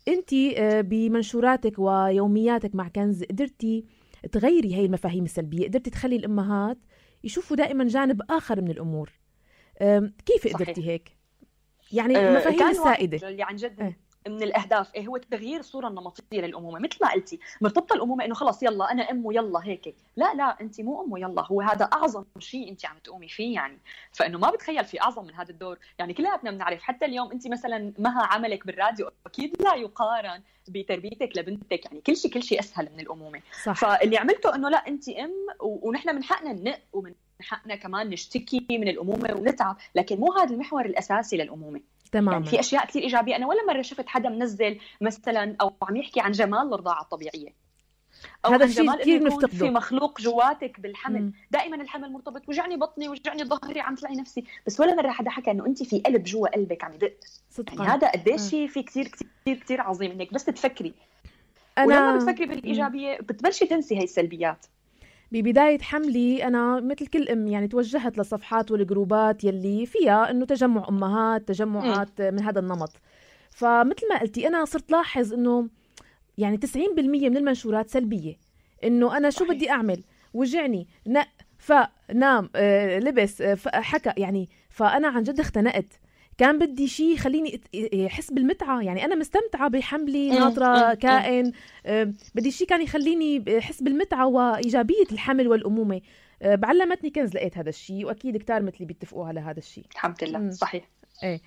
انتي بمنشوراتك ويومياتك مع كنز قدرتي تغيري هاي المفاهيم السلبية، قدرتي تخلي الامهات يشوفوا دائما جانب آخر من الأمور. كيف قدرتي هيك؟ يعني المفاهيم السائدة اللي عن جد من الأهداف هو تغيير الصورة النمطية للأمومة. مثل ما قلتي مرتبطة الأمومة إنه خلاص يلا أنا أم ويلا هيك، لا أنت مو أم ويلا، هو هذا أعظم شيء أنت عم تقومي فيه. يعني فإنه ما بتخيل في أعظم من هذا الدور. يعني كلياتنا بنعرف، حتى اليوم أنت مثلا مها عملك بالراديو أكيد لا يقارن بتربيتك لبنتك، يعني كل شيء أسهل من الأمومة. صح. فاللي عملته إنه لا أنت أم، ونحن من حقنا ننق ومن حقنا كمان نشتكي من الأمومة ونتعب، لكن مو هذا المحور الأساسي للأمومة. تماما. يعني في أشياء كثير إيجابية. أنا ولا مرة شفت حدا منزل مثلا أو عم يحكي عن جمال الرضاعة الطبيعية، أو هذا عن جمال كثير إنه يكون في مخلوق جواتك بالحمل. دائما الحمل مرتبط وجعني بطني وجعني ظهري عم تلاقي نفسي، بس ولا مرة حدا حكى إنه أنت في قلب جوا قلبك عم يدق. يعني هذا قديش شيء في كثير كثير كثير عظيم إنك بس تفكري. ولما بتفكري بالإيجابية بتبلشي تنسي هاي السلبيات. ببداية حملي أنا مثل كل أم يعني توجهت للصفحات والجروبات يلي فيها إنه تجمع أمهات، تجمعات من هذا النمط. فمثل ما قلتي أنا صرت لاحظ إنه يعني 90% من المنشورات سلبية، إنه أنا شو بدي أعمل، وجعني، نام، لبس، حكى يعني. فأنا عن جد اختنقت. كان بدي شيء خليني احس بالمتعه، يعني انا مستمتعه بحملي ناطره كائن، بدي شيء كان يخليني احس بالمتعه وايجابيه الحمل والامومه. بعلمتني كنز لقيت هذا الشيء، واكيد كتار مثلي بيتفقوا على هذا الشيء. الحمد لله. صحيح. ايه.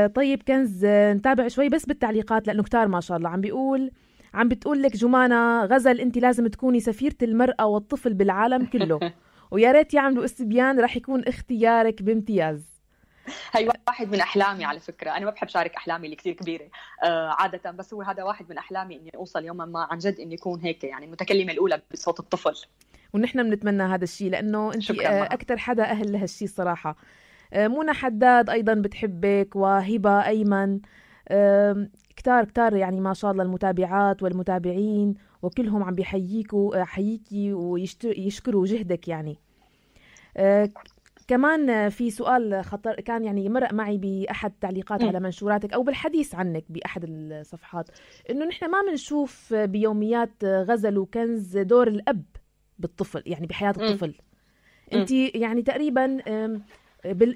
طيب كنز، نتابع شوي بس بالتعليقات لانه كتار ما شاء الله عم بتقول لك جمانة غزل انت لازم تكوني سفيرة المرأة والطفل بالعالم كله ويا ريت يعملوا استبيان رح يكون اختيارك بامتياز. هي واحد من أحلامي على فكرة، أنا ما بحب شارك أحلامي اللي كتير كبيرة عادة، بس هو هذا واحد من أحلامي إني أوصل يوما ما عن جد إني أكون هيك، يعني المتكلمة الأولى بصوت الطفل. ونحن بنتمنى هذا الشيء لأنه أنت أكتر حدا أهل لهالشيء صراحة. منى حداد أيضا بتحبك، وهبة أيمن، كتار يعني ما شاء الله المتابعات والمتابعين وكلهم عم حييكي ويشكروا جهدك يعني. كمان في سؤال خطر كان يعني مرق معي بأحد التعليقات على منشوراتك أو بالحديث عنك بأحد الصفحات، إنه نحن ما بنشوف بيوميات غزل وكنز دور الأب بالطفل، يعني بحياة الطفل. أنت يعني تقريبا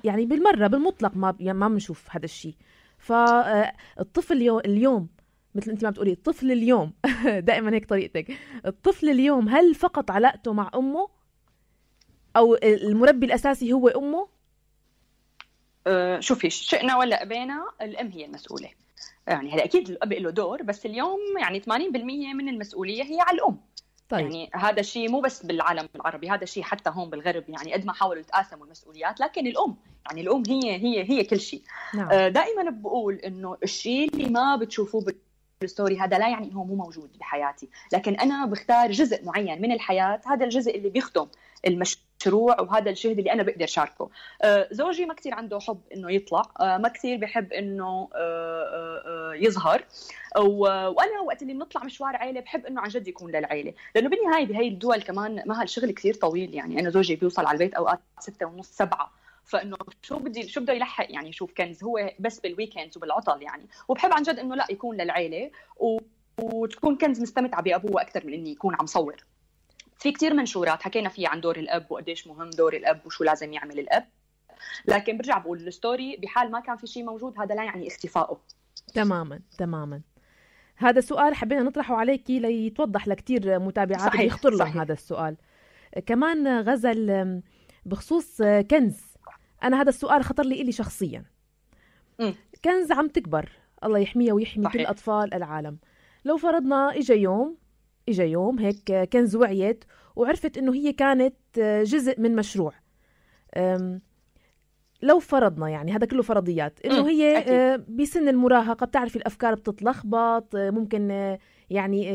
يعني بالمرة بالمطلق ما بنشوف هذا الشيء. فالطفل اليوم مثل أنت ما بتقولي الطفل اليوم دائما هيك طريقتك، الطفل اليوم هل فقط علاقته مع أمه أو المربي الأساسي هو أمه؟ شوفي، شئنا ولا أبينا الأم هي المسؤولة. يعني هذا أكيد الأب له دور، بس اليوم يعني 80% من المسؤولية هي على الأم. طيب. يعني هذا الشيء مو بس بالعالم العربي، هذا الشيء حتى هون بالغرب، يعني قد ما حاولوا يتقاسموا المسؤوليات لكن الأم يعني الأم هي كل شيء. نعم. دائما بقول إنه الشيء اللي ما بتشوفوه بالستوري هذا لا يعني إنه مو موجود بحياتي، لكن أنا بختار جزء معين من الحياة، هذا الجزء اللي بيخدم المشروع وهذا الجهد اللي أنا بقدر شاركه. زوجي ما كتير عنده حب إنه يطلع، ما كتير بحب إنه يظهر، وأنا وقت اللي بنطلع مشوار عائلة بحب إنه عن جد يكون للعائلة، لأنه بالنهاية بهاي الدول كمان ما هالشغل كتير طويل. يعني أنا زوجي بيوصل على البيت أوقات 6:30 7، فإنه شو بده يلحق يعني يشوف كنز هو بس بالويكند وبالعطل يعني. وبحب عن جد إنه لا يكون للعائلة وتكون كنز مستمتعة بأبوه أكتر من إني يكون عم صور. في كتير منشورات حكينا فيها عن دور الأب وقديش مهم دور الأب وشو لازم يعمل الأب، لكن برجع بقول الستوري بحال ما كان في شيء موجود هذا لا يعني اختفائه. تماما. هذا سؤال حبينا نطرحه عليكي ليتوضح لكتير متابعات يخطر لهم هذا السؤال. كمان غزل بخصوص كنز، أنا هذا السؤال خطر لي شخصيا. كنز عم تكبر، الله يحميها ويحمي كل أطفال العالم. لو فرضنا إجا يوم هيك كنز وعيت وعرفت إنه هي كانت جزء من مشروع، لو فرضنا يعني هذا كله فرضيات إنه هي بسن المراهقة بتعرفي الأفكار بتتلخبط، ممكن يعني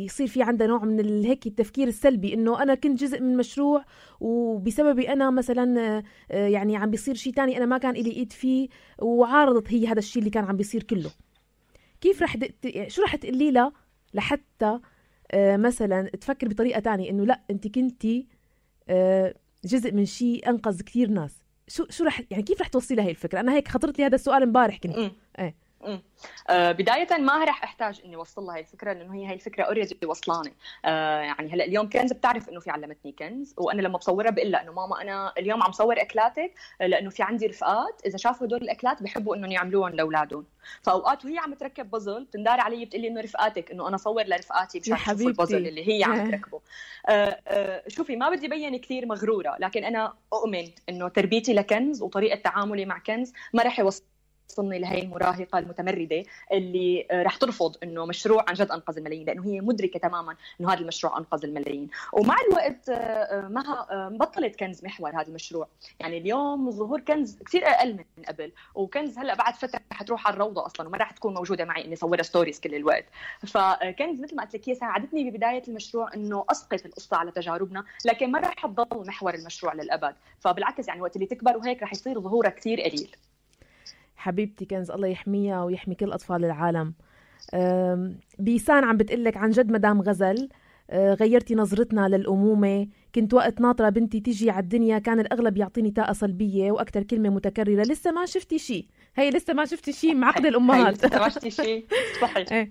يصير في عندها نوع من هيك التفكير السلبي إنه أنا كنت جزء من مشروع وبسببي أنا مثلا يعني عم بيصير شيء تاني أنا ما كان إلي إيد فيه، وعارضت هي هذا الشيء اللي كان عم بيصير كله. كيف شو رح تقولي لها لحتى مثلا تفكر بطريقة تانية إنه لا أنت كنتي جزء من شيء أنقذ كثير ناس؟ شو رح يعني كيف رح توصلي لهي الفكرة؟ أنا هيك خطرت لي هذا السؤال امبارح كنت. بداية ما رح أحتاج إني وصل لها هاي الفكرة، لأنه هي هاي الفكرة أوريدي وصلاني. يعني هلأ اليوم كنز بتعرف إنه في علمتني كنز، وأنا لما بصورها بقول لها إنه ماما أنا اليوم عم صور أكلاتك لأنه في عندي رفقات إذا شافوا هدول الأكلات بحبوا إنهم يعملوهم لأولادهم. فأوقات وهي عم تركب بازل تندار علي بتقلي إنه رفقاتك، إنه أنا صور لرفقاتي مشان يشوفوا البازل اللي هي عم تركبه. شوفي ما بدي بين كثير مغرورة، لكن أنا أؤمن إنه تربيتي لكنز وطريقة تعاملي مع كنز ما رح يوصلني لهي المراهقة المتمردة اللي رح ترفض إنه مشروع عن جد أنقذ الملايين، لأنه هي مدركة تماماً إنه هذا المشروع أنقذ الملايين. ومع الوقت ما بطلت كنز محور هذا المشروع، يعني اليوم ظهور كنز كثير أقل من قبل، وكنز هلأ بعد فترة حتروح على الروضة أصلاً وما رح تكون موجودة معي إني صورها ستوريز كل الوقت. فكنز مثل ما قلت لك هي ساعدتني ببداية المشروع إنه أسقط القصة على تجاربنا، لكن ما رح تضل محور المشروع للأبد. فبالعكس يعني وقت اللي تكبر وهيك رح يصير ظهورها كثير قليل. حبيبتي كنز الله يحميها ويحمي كل أطفال العالم. بيسان عم بتقلك عن جد مدام غزل غيرتي نظرتنا للأمومة. كنت وقت ناطرة بنتي تيجي على الدنيا كان الأغلب يعطيني طاقة سلبية وأكتر كلمة متكررة لسه ما شفتي شيء. هي لسه ما شفتي شيء معقد الأمهات. لسه ما شفتي شيء صحيح.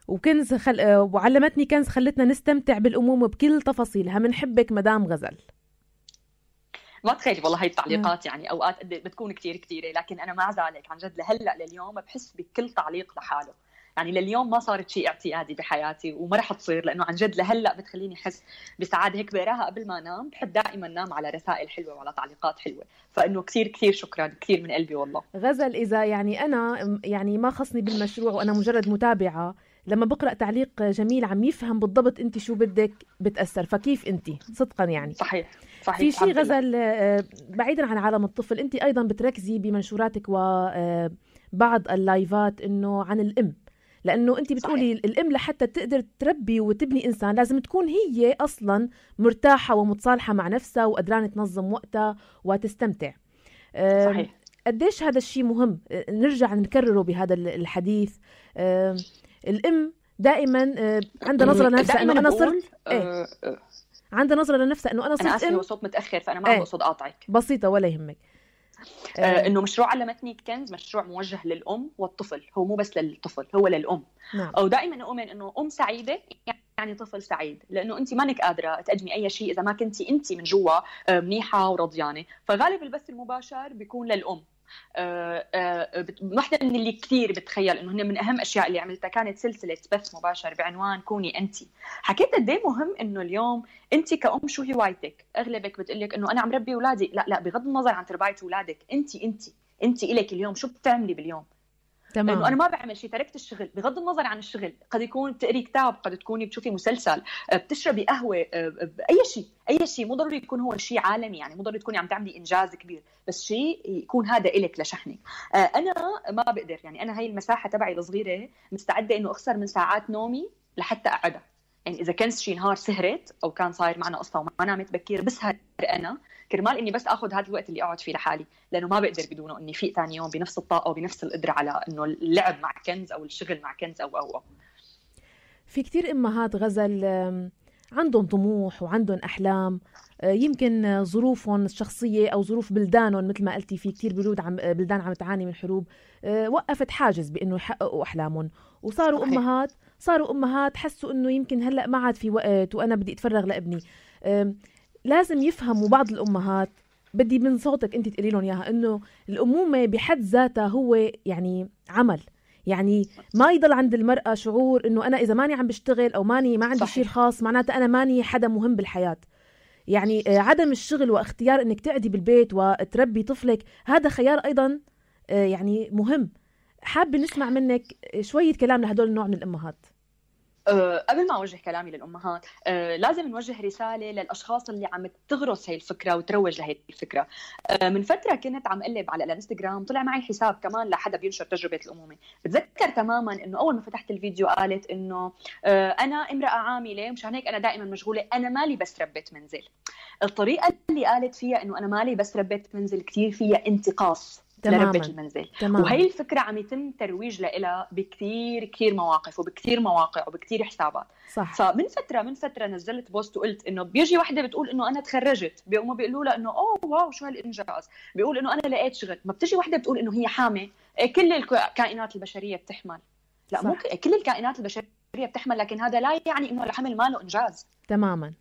وكنز وعلمتني كنز خلتنا نستمتع بالأمومة بكل تفاصيلها. منحبك مدام غزل. ما تخيلي والله هاي التعليقات يعني اوقات بتكون كتيره، لكن انا مع ذلك عن جد لهلا لليوم بحس بكل تعليق لحاله. يعني لليوم ما صارت شيء اعتيادي بحياتي وما رح تصير، لانه عن جد لهلا بتخليني احس بسعاده. هيك بقراها قبل ما انام، بحب دائما انام على رسائل حلوه وعلى تعليقات حلوه. فانه كثير شكرا، كثير من قلبي والله. غزل، اذا يعني انا يعني ما خصني بالمشروع وانا مجرد متابعه، لما بقرأ تعليق جميل عم يفهم بالضبط انت شو بدك بتأثر. فكيف انت صدقا يعني صحيح في شيء غزل بعيدا عن عالم الطفل، انت ايضا بتركزي بمنشوراتك وبعض اللايفات انه عن الام، لانه انت بتقولي الام لحتى تقدر تربي وتبني انسان لازم تكون هي اصلا مرتاحه ومتصالحه مع نفسها وقدرانه تنظم وقتها وتستمتع. صحيح. قديش هذا الشيء مهم نرجع نكرره بهذا الحديث. الام دائما عندها نظره لنفسها انه انا صرت عندها نظره لنفسها انه انا صرت ام. صوت متاخر فانا ما بقصد اقاطعك. بسيطه ولا يهمك. انه مشروع علمتني كنز مشروع موجه للام والطفل، هو مو بس للطفل، هو للام. نعم. او دائما اؤمن انه ام سعيده يعني طفل سعيد، لانه انت مانك قادره تقدمي اي شيء اذا ما كنتي انت من جوا منيحه ورضيانه. فغالب البث المباشر بيكون للام. واحدة من اللي كثير بتخيل انه هن من اهم اشياء اللي عملتها كانت سلسله بث مباشر بعنوان كوني انت. حكيت قد ايه مهم انه اليوم انت كأم شو هوايتك. اغلبك بتقلك انه انا عم ربي اولادي. لا بغض النظر عن تربايه اولادك، انت الك اليوم شو بتعملي باليوم. تمام. لانه انا ما بعمل شيء، تركت الشغل. بغض النظر عن الشغل، قد يكون بتقري كتاب، قد تكوني بتشوفي مسلسل، بتشربي قهوه، اي شيء مو ضروري يكون هو شيء عالمي، يعني مو ضروري تكوني عم تعملي انجاز كبير، بس شيء يكون هذا إلك لشحنك. انا ما بقدر، يعني انا هاي المساحه تبعي الصغيره مستعده انه اخسر من ساعات نومي لحتى اقعدها. يعني اذا كان شي نهار سهرت او كان صاير معنا قصه وما نامت بكير، بسهر انا كرمال اني بس اخذ هذا الوقت اللي اقعد فيه لحالي، لانه ما بقدر بدونه اني فيق ثاني يوم بنفس الطاقه وبنفس القدره على انه اللعب مع كنز او الشغل مع كنز او. في كتير امهات غزل عندهم طموح وعندهم احلام، يمكن ظروفهم الشخصيه او ظروف بلدانهم مثل ما قلتي، في كتير بلدان عم تعاني من حروب وقفت حاجز بانه يحققوا احلامهم، وصاروا امهات حسوا انه يمكن هلا ما عاد في وقت وانا بدي اتفرغ لابني. لازم يفهموا بعض الامهات، بدي من صوتك انت تقولي لهم اياها، انه الامومه بحد ذاتها هو يعني عمل، يعني ما يضل عند المرأة شعور انه انا اذا ماني عم بشتغل او ما عندي شيء خاص معناته انا ماني حدا مهم بالحياة. يعني عدم الشغل واختيار انك تقعدي بالبيت وتربي طفلك هذا خيار ايضا يعني مهم. حابة نسمع منك شوية كلام لهدول النوع من الامهات. قبل ما أوجه كلامي للأمهات، لازم نوجه رسالة للأشخاص اللي عم تغرس هاي الفكرة وتروج لهي الفكرة. من فترة كنت عم قلب على الانستغرام، طلع معي حساب كمان لحدا بينشر تجربة الأمومة. بتذكر تماما إنه أول ما فتحت الفيديو قالت إنه أنا امرأة عاملة مشان هيك أنا دائما مشغولة، أنا مالي بس ربة منزل. الطريقة اللي قالت فيها إنه أنا مالي بس ربة منزل كتير فيها انتقاص لربة المنزل. وهي الفكرة عم يتم ترويج لها بكثير مواقف وبكثير مواقع وبكثير حسابات. صح. فمن فترة نزلت بوست وقلت إنه بيجي واحدة بتقول إنه أنا تخرجت، بيقوموا بيقولوا لها إنه أوه واو شو هالإنجاز، بيقول إنه أنا لقيت شغل. ما بتجي واحدة بتقول إنه هي حامل. كل الكائنات البشرية بتحمل. لا صح. مو كل الكائنات البشرية بتحمل، لكن هذا لا يعني إنه الحمل ما له إنجاز. تماما.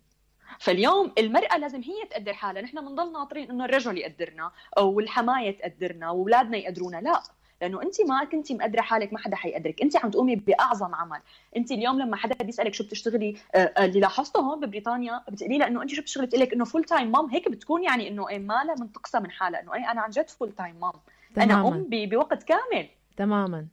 فاليوم المرأة لازم هي تقدر حالها. نحن بنضل ناطرين إنه الرجل يقدرنا أو الحماية تقدرنا وأولادنا يقدرونا. لا، لأنه أنت ما كنتي مقدرة حالك ما حدا حيقدرك. أنت عم تقومي بأعظم عمل. أنت اليوم لما حدا بيسألك شو بتشتغلي، اللي لاحظته هون ببريطانيا بتقولي له إنه أنت شو بتشتغلي، بتقول لك إنه فول تايم مام. هيك بتكون يعني إنه مالها منتقصة من حالها، إنه أنا عن جد فول تايم مام. أنا أم بوقت كامل. تماما.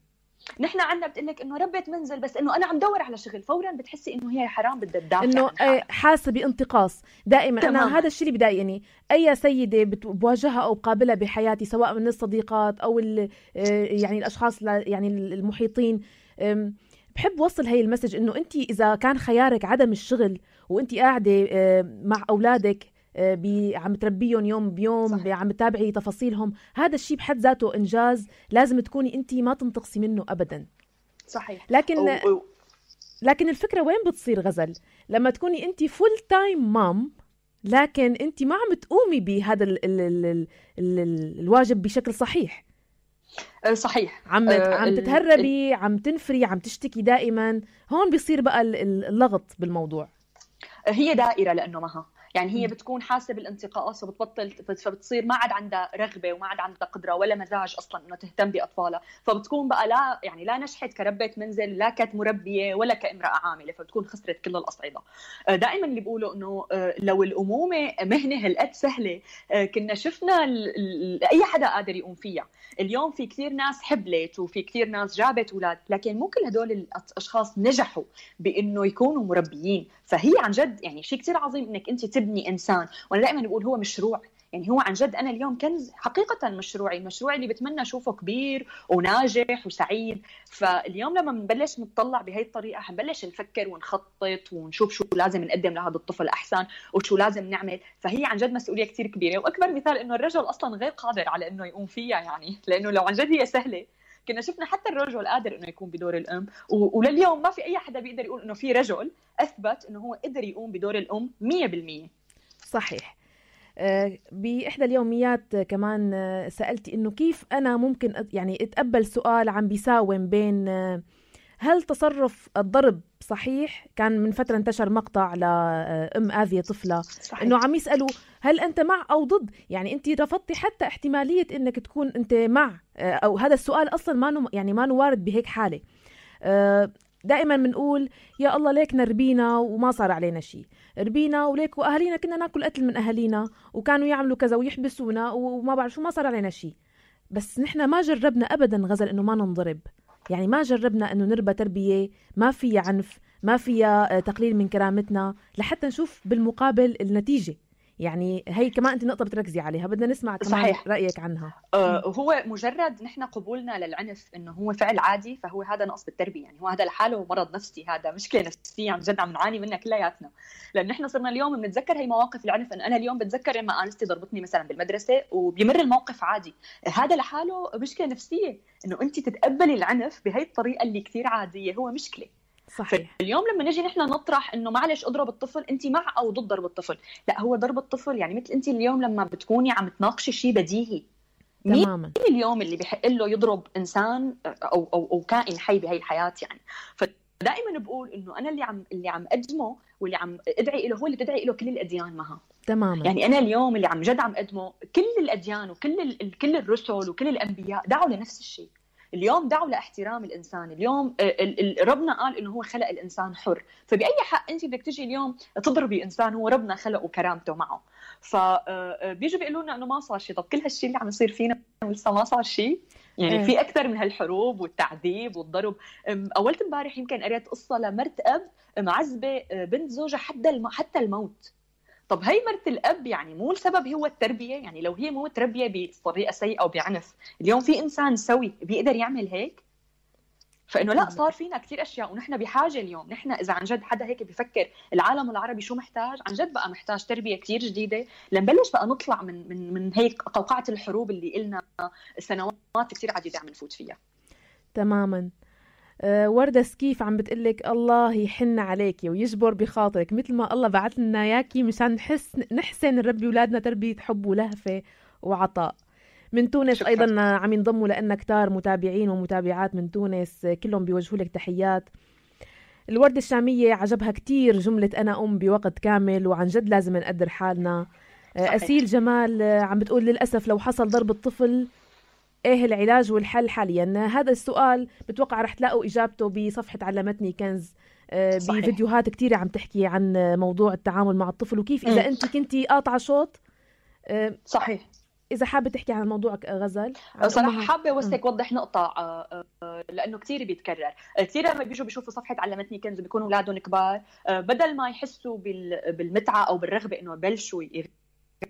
نحن عندنا بتقلك انه ربة منزل، بس انه انا عم دور على شغل، فورا بتحسي انه هي حرام بدها تدافع انه حاسه بانتقاص دائما. تمام. انا هذا الشيء اللي بضايقني. اي سيده بواجهها او بقابلها بحياتي سواء من الصديقات او يعني الاشخاص يعني المحيطين، بحب وصل هاي المسج انه انت اذا كان خيارك عدم الشغل وانت قاعده مع اولادك عم تربيهم يوم بيوم، عم تتابعي تفاصيلهم، هذا الشيء بحد ذاته إنجاز لازم تكوني أنت ما تنتقصي منه أبدا. صحيح. لكن الفكرة وين بتصير غزل؟ لما تكوني أنت فول تايم مام لكن أنت ما عم تقومي بهذا الواجب بشكل صحيح. صحيح. عم تتهربي، عم تنفري، عم تشتكي دائما. هون بيصير بقى اللغط بالموضوع. هي دائرة لأنه معها يعني هي بتكون حاسه بالانتقاص وبتبطل، فبتصير ما عاد عندها رغبه وما عاد عندها قدره ولا مزاج اصلا انه تهتم باطفالها، فبتكون بقى لا يعني لا نجحت كربة منزل لا كمربيه ولا كامراه عامله، فبتكون خسرت كل الاصعده. دائما اللي بيقولوا انه لو الامومه مهنه هالقد سهله كنا شفنا اي حدا قادر يقوم فيها. اليوم في كثير ناس حبلت وفي كثير ناس جابت اولاد، لكن مو كل هدول الاشخاص نجحوا بانه يكونوا مربيين. فهي عن جد يعني شيء كثير عظيم انك انت تبني انسان، وانا دائما بقول هو مشروع، يعني هو عن جد انا اليوم كنز حقيقه مشروعي اللي بتمنى اشوفه كبير وناجح وسعيد. فاليوم لما بنبلش نطلع بهي الطريقه حنبلش نفكر ونخطط ونشوف شو لازم نقدم لهذا الطفل احسن وشو لازم نعمل. فهي عن جد مسؤوليه كثير كبيره، واكبر مثال انه الرجل اصلا غير قادر على انه يقوم فيها، يعني لانه لو عن جد هي سهله كنا شفنا حتى الرجل قادر انه يقوم بدور الام، ولليوم ما في اي حدا بيقدر يقول انه في رجل اثبت انه هو قدر يقوم بدور الام 100%. صحيح. بإحدى اليوميات كمان سألتي إنه كيف أنا ممكن يعني أتقبل سؤال عم بيساوم بين هل تصرف الضرب صحيح؟ كان من فترة انتشر مقطع لأم آذية طفلة إنه عم يسألوا هل أنت مع أو ضد؟ يعني أنت رفضتي حتى احتمالية إنك تكون أنت مع، أو هذا السؤال أصلا ما وارد بهيك حالة. دائما بنقول يا الله ليك نربينا وما صار علينا شيء، ربينا وليك واهالينا كنا ناكل قتل من اهالينا وكانوا يعملوا كذا ويحبسونا وما بعرف شو، ما صار علينا شيء. بس نحن ما جربنا ابدا غزل انه ما ننضرب، يعني ما جربنا انه نربى تربيه ما فيها عنف، ما فيها تقليل من كرامتنا، لحتى نشوف بالمقابل النتيجه. يعني هي كمان انت نقطه بتركزي عليها، بدنا نسمع كمان صحيح. رايك عنها. هو مجرد نحن قبولنا للعنف انه هو فعل عادي، فهو هذا نقص بالتربيه، يعني هو هذا لحاله مرض نفسي، هذا مشكله نفسيه عن جد عم نعاني منها كلياتنا. لان نحن صرنا اليوم بنتذكر هي مواقف العنف، ان انا اليوم بتذكر لما انستي ضربتني مثلا بالمدرسه وبيمر الموقف عادي، هذا لحاله مشكله نفسيه. انه انت تتقبلي العنف بهي الطريقه اللي كثير عاديه هو مشكله. صحيح. اليوم لما نجي نحن نطرح انه معلش اضرب الطفل، انت مع او ضد ضرب الطفل؟ لا، هو ضرب الطفل يعني مثل انت اليوم لما بتكوني عم تناقشي شيء بديهي، تماما. مين اليوم اللي بيحق له يضرب انسان او كائن حي بهي الحياه؟ يعني فدائما بقول انه انا اللي عم اقدمه واللي عم ادعي له هو اللي بتدعي له كل الاديان معها. تماما. يعني انا اليوم اللي عم جد عم اقدمه كل الاديان وكل الرسل وكل الانبياء دعوا لنفس الشيء. اليوم دعوا لاحترام الإنسان. اليوم ربنا قال إنه هو خلق الإنسان حر، فبأي حق أنت بدك تجي اليوم تضربي إنسان هو ربنا خلقه وكرامته معه؟ فبيجوا بيقولوا لنا إنه ما صار شيء. طب كل هالشيء اللي عم يصير فينا ولسه ما صار شيء؟ يعني في أكثر من هالحروب والتعذيب والضرب. أولت امبارح يمكن قريت قصة لمرت أب معذبة بنت زوجها حتى الموت. طب هي مرت الأب يعني مو السبب هو التربية؟ يعني لو هي مو تربية بطريقة سيئة وبعنف، اليوم في إنسان سوي بيقدر يعمل هيك؟ فإنه لا، صار فينا كتير أشياء ونحن بحاجة اليوم. نحن إذا عن جد حدا هيك بيفكر العالم العربي شو محتاج، عن جد بقى محتاج تربية كتير جديدة لنبلش بقى نطلع من هيك قوقعة الحروب اللي إلنا سنوات كتير عديدة عم نفوت فيها. تماماً. وردة سكيف عم بتقلك الله يحن عليكي ويجبر بخاطرك، مثل ما الله بعث لنا ياكي مشان نحسن نربي أولادنا تربية حب ولهفة وعطاء. من تونس شكرا. أيضا عم ينضموا لأن كتار متابعين ومتابعات من تونس كلهم بيوجهوا لك تحيات. الوردة الشامية عجبها كتير جملة أنا أم بوقت كامل وعن جد لازم نقدر حالنا. أسيل جمال عم بتقول للأسف لو حصل ضرب الطفل ايه العلاج والحل حاليا؟ هذا السؤال بتوقع رح تلاقوا اجابته بصفحة علمتني كنز، بفيديوهات كتيرة عم تحكي عن موضوع التعامل مع الطفل وكيف اذا انت كنتي قاطعة شوط. صحيح. اذا حابة تحكي عن الموضوع غزل. صراحة حابة وسك وضح نقطة لانه كتير بيتكرر. كتير لما بيجوا بيشوفوا صفحة علمتني كنز بيكونوا اولادهم كبار، بدل ما يحسوا بالمتعة او بالرغبة انه يبلشوا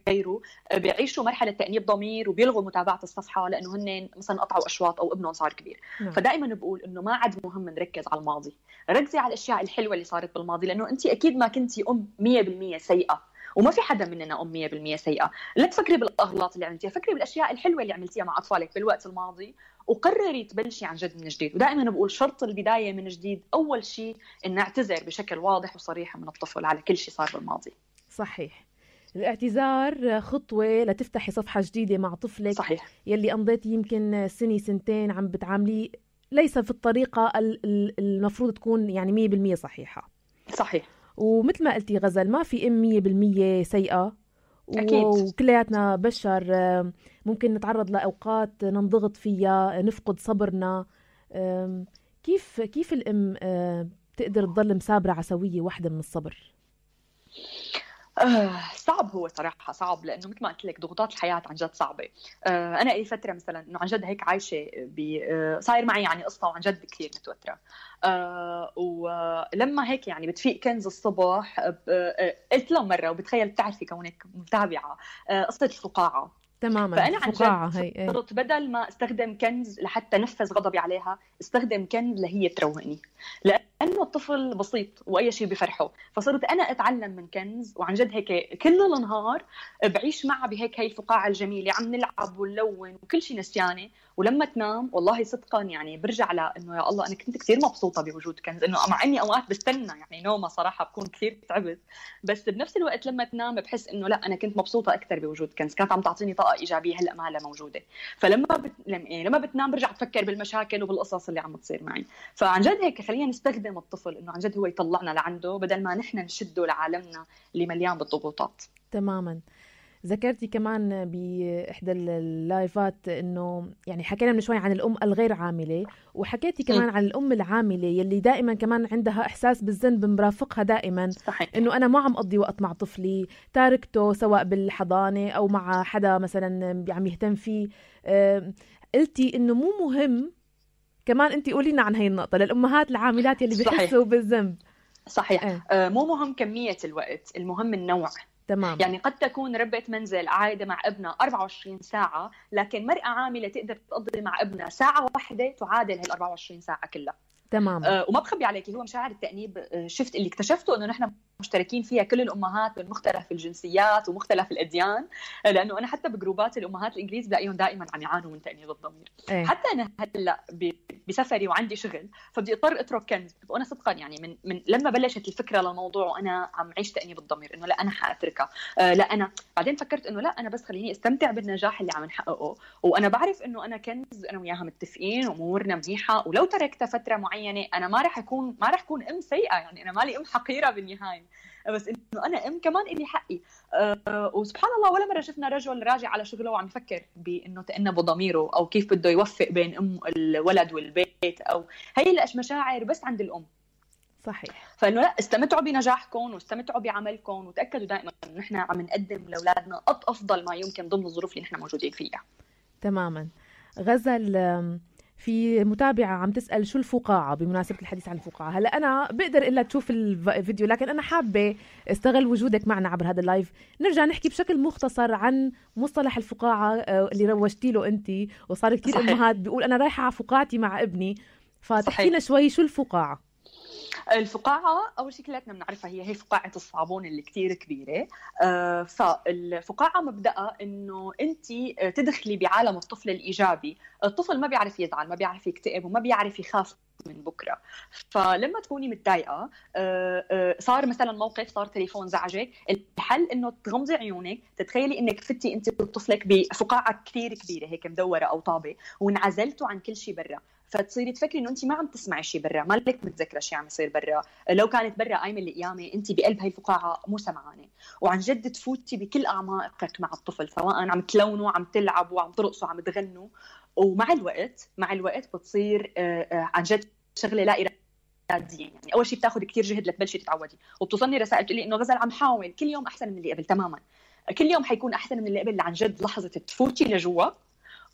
غيره، بيعيشوا مرحله تانيب ضمير وبيلغوا متابعه الصفحه لانه هن مثلا قطعوا اشواط او ابنهم صار كبير. فدائما بقول انه ما عاد مهم نركز على الماضي، ركزي على الاشياء الحلوه اللي صارت بالماضي، لانه انت اكيد ما كنتي ام 100% سيئه، وما في حدا مننا ام 100% سيئه. لا تفكري بالاغلاط اللي عملتيها، فكري بالاشياء الحلوه اللي عملتيها مع اطفالك بالوقت الماضي وقرري تبلشي عن جد من جديد. ودائما بقول شرط البدايه من جديد اول شيء ان نعتذر بشكل واضح وصريح من الطفل على كل شيء صار بالماضي. صحيح. الاعتذار خطوة لتفتحي صفحة جديدة مع طفلك. صحيح. يلي قضيتي يمكن سنة سنتين عم بتعاملي ليس في الطريقة المفروض تكون يعني 100% صحيحة. صحيح. ومثل ما قلتي غزل ما في 100% سيئة، أكيد. وكلياتنا بشر ممكن نتعرض لأوقات ننضغط فيها، نفقد صبرنا. كيف الأم تقدر تضل مسابرة على سوية واحدة من الصبر؟ صعب، هو صراحة صعب، لأنه مثل ما قلت لك ضغوطات الحياة عن جد صعبة. أنا أي فترة مثلا إنه عن جد هيك عايشة صاير معي يعني قصة وعن جد كثير متوترة. ولما هيك يعني بتفيق كنز الصبح، قلت له مرة، وبتخيل بتعرفي كونك متابعة قصة الفقاعة تماما. فأنا عن فقاعة جد صرت بدل ما استخدم كنز لحتى نفذ غضبي عليها، استخدم كنز لهي تروقني، لأنه الطفل بسيط وأي شيء بفرحه. فصرت أنا أتعلم من كنز، وعن جد هيك كل النهار بعيش معها بهيك هي الفقاعة الجميلة، عم نلعب ونلون وكل شيء نسيانة. ولما تنام والله صدقا يعني برجع إنه يا الله أنا كنت كثير مبسوطة بوجود كنز، إنه مع إني أوقات بستنى يعني نومة صراحة بكون كثير تعبت، بس بنفس الوقت لما تنام بحس إنه لا أنا كنت مبسوطة أكثر بوجود كنز، كانت عم تعطيني طاقة إيجابية هلأ ما لها موجودة. لما بتنام برجع تفكر بالمشاكل وبالقصص اللي عم تصير معي. فعن جد هيك خلينا نستخدم الطفل إنه عن جد هو يطلعنا لعنده، بدل ما نحن نشده لعالمنا اللي مليان بالضغوطات. تماما. ذكرتي كمان بإحدى اللايفات إنه يعني حكينا من شوي عن الأم الغير عاملة، وحكيتي كمان عن الأم العاملة يلي دائما كمان عندها إحساس بالذنب مرافقها دائما. صحيح. إنه أنا ما عم أقضي وقت مع طفلي، تاركته سواء بالحضانة أو مع حدا مثلا عم يهتم فيه. قلتي إنه مو مهم، كمان أنتي قولينا عن هاي النقطة للأمهات العاملات يلي بيحسوا بالذنب. صحيح. مو مهم كمية الوقت، المهم النوع. تمام. يعني قد تكون ربة منزل قاعدة مع ابنها 24 ساعة، لكن مرأة عاملة تقدر تقضي مع ابنها ساعة واحدة تعادل هال 24 ساعة كلها. تمام. وما بخبي عليك، هو مشاعر التأنيب شفت اللي اكتشفته انه نحن مشتركين فيها كل الامهات من مختلف الجنسيات ومختلف الاديان، لانه انا حتى بجروبات الامهات الانجليز بلاقيهم دائما عم يعانوا من تأنيب الضمير. حتى انا هلا بسفري وعندي شغل فبدي اضطر اترك كنز، وانا صدقا يعني من لما بلشت الفكره للموضوع وانا عم عيش تأنيب الضمير انه لا انا حاتركها، لا انا بعدين فكرت انه لا انا بس خليني استمتع بالنجاح اللي عم نحققه، وانا بعرف انه انا كنز انا وياها متفقين وامورنا منيحه، ولو تركتها فتره معينه انا ما رح اكون ام سيئه، يعني انا مالي ام حقيره بالنهايه، بس انه انا ام كمان الي حقي. وسبحان الله ولا مره شفنا رجل راجع على شغله وعم يفكر بانه تأنب ضميره او كيف بده يوفق بين الولد والبيت، او هي المشاعر بس عند الام. صحيح. فانه لا، استمتعوا بنجاحكم واستمتعوا بعملكم، وتاكدوا دائما انه نحن عم نقدم لاولادنا افضل ما يمكن ضمن الظروف اللي نحن موجودين فيها. تماما. غزل، في متابعة عم تسأل شو الفقاعة بمناسبة الحديث عن الفقاعة. هلا أنا بقدر إلا تشوف الفيديو، لكن أنا حابة استغل وجودك معنا عبر هذا اللايف نرجع نحكي بشكل مختصر عن مصطلح الفقاعة اللي روجتي له أنت، وصار كتير صحيح. أمهات بيقول أنا رايحة على فقاعتي مع ابني، فتحكينا شوي شو الفقاعة. الفقاعة أول شيء كلاتنا بنعرفها هي فقاعة الصابون اللي كتير كبيرة. فالفقاعة مبدأها إنه أنت تدخلي بعالم الطفل الإيجابي. الطفل ما بيعرف يزعل، ما بيعرف يكتئب، وما بيعرف يخاف من بكرة. فلما تكوني متضايقة، صار مثلا موقف، صار تليفون زعجك، الحل إنه تغمضي عيونك، تتخيلي إنك فتي أنت وطفلك بفقاعة كتير كبيرة هيك مدورة أو طابة، وانعزلتوا عن كل شيء برا، فتصيري تفكري انه انت ما عم تسمعي شيء برا، مالك متذكره شيء عم يصير برا، لو كانت برا قايمه القيامه انت بقلب هاي الفقاعه مو سمعانه، وعن جد تفوتي بكل اعماقك مع الطفل، سواء عم تلونوا، عم تلعبوا، عم ترقصوا، عم تغنوا. ومع الوقت بتصير عن جد شغله لا اراديه، يعني اول شيء بتاخذ كثير جهد لتبلشي تتعودي، وبتوصلني رسائل تقول لي انه غزل عم حاول كل يوم احسن من اللي قبل. تماما، كل يوم حيكون احسن من اللي قبل، عن جد لحظه تفوتي لجوا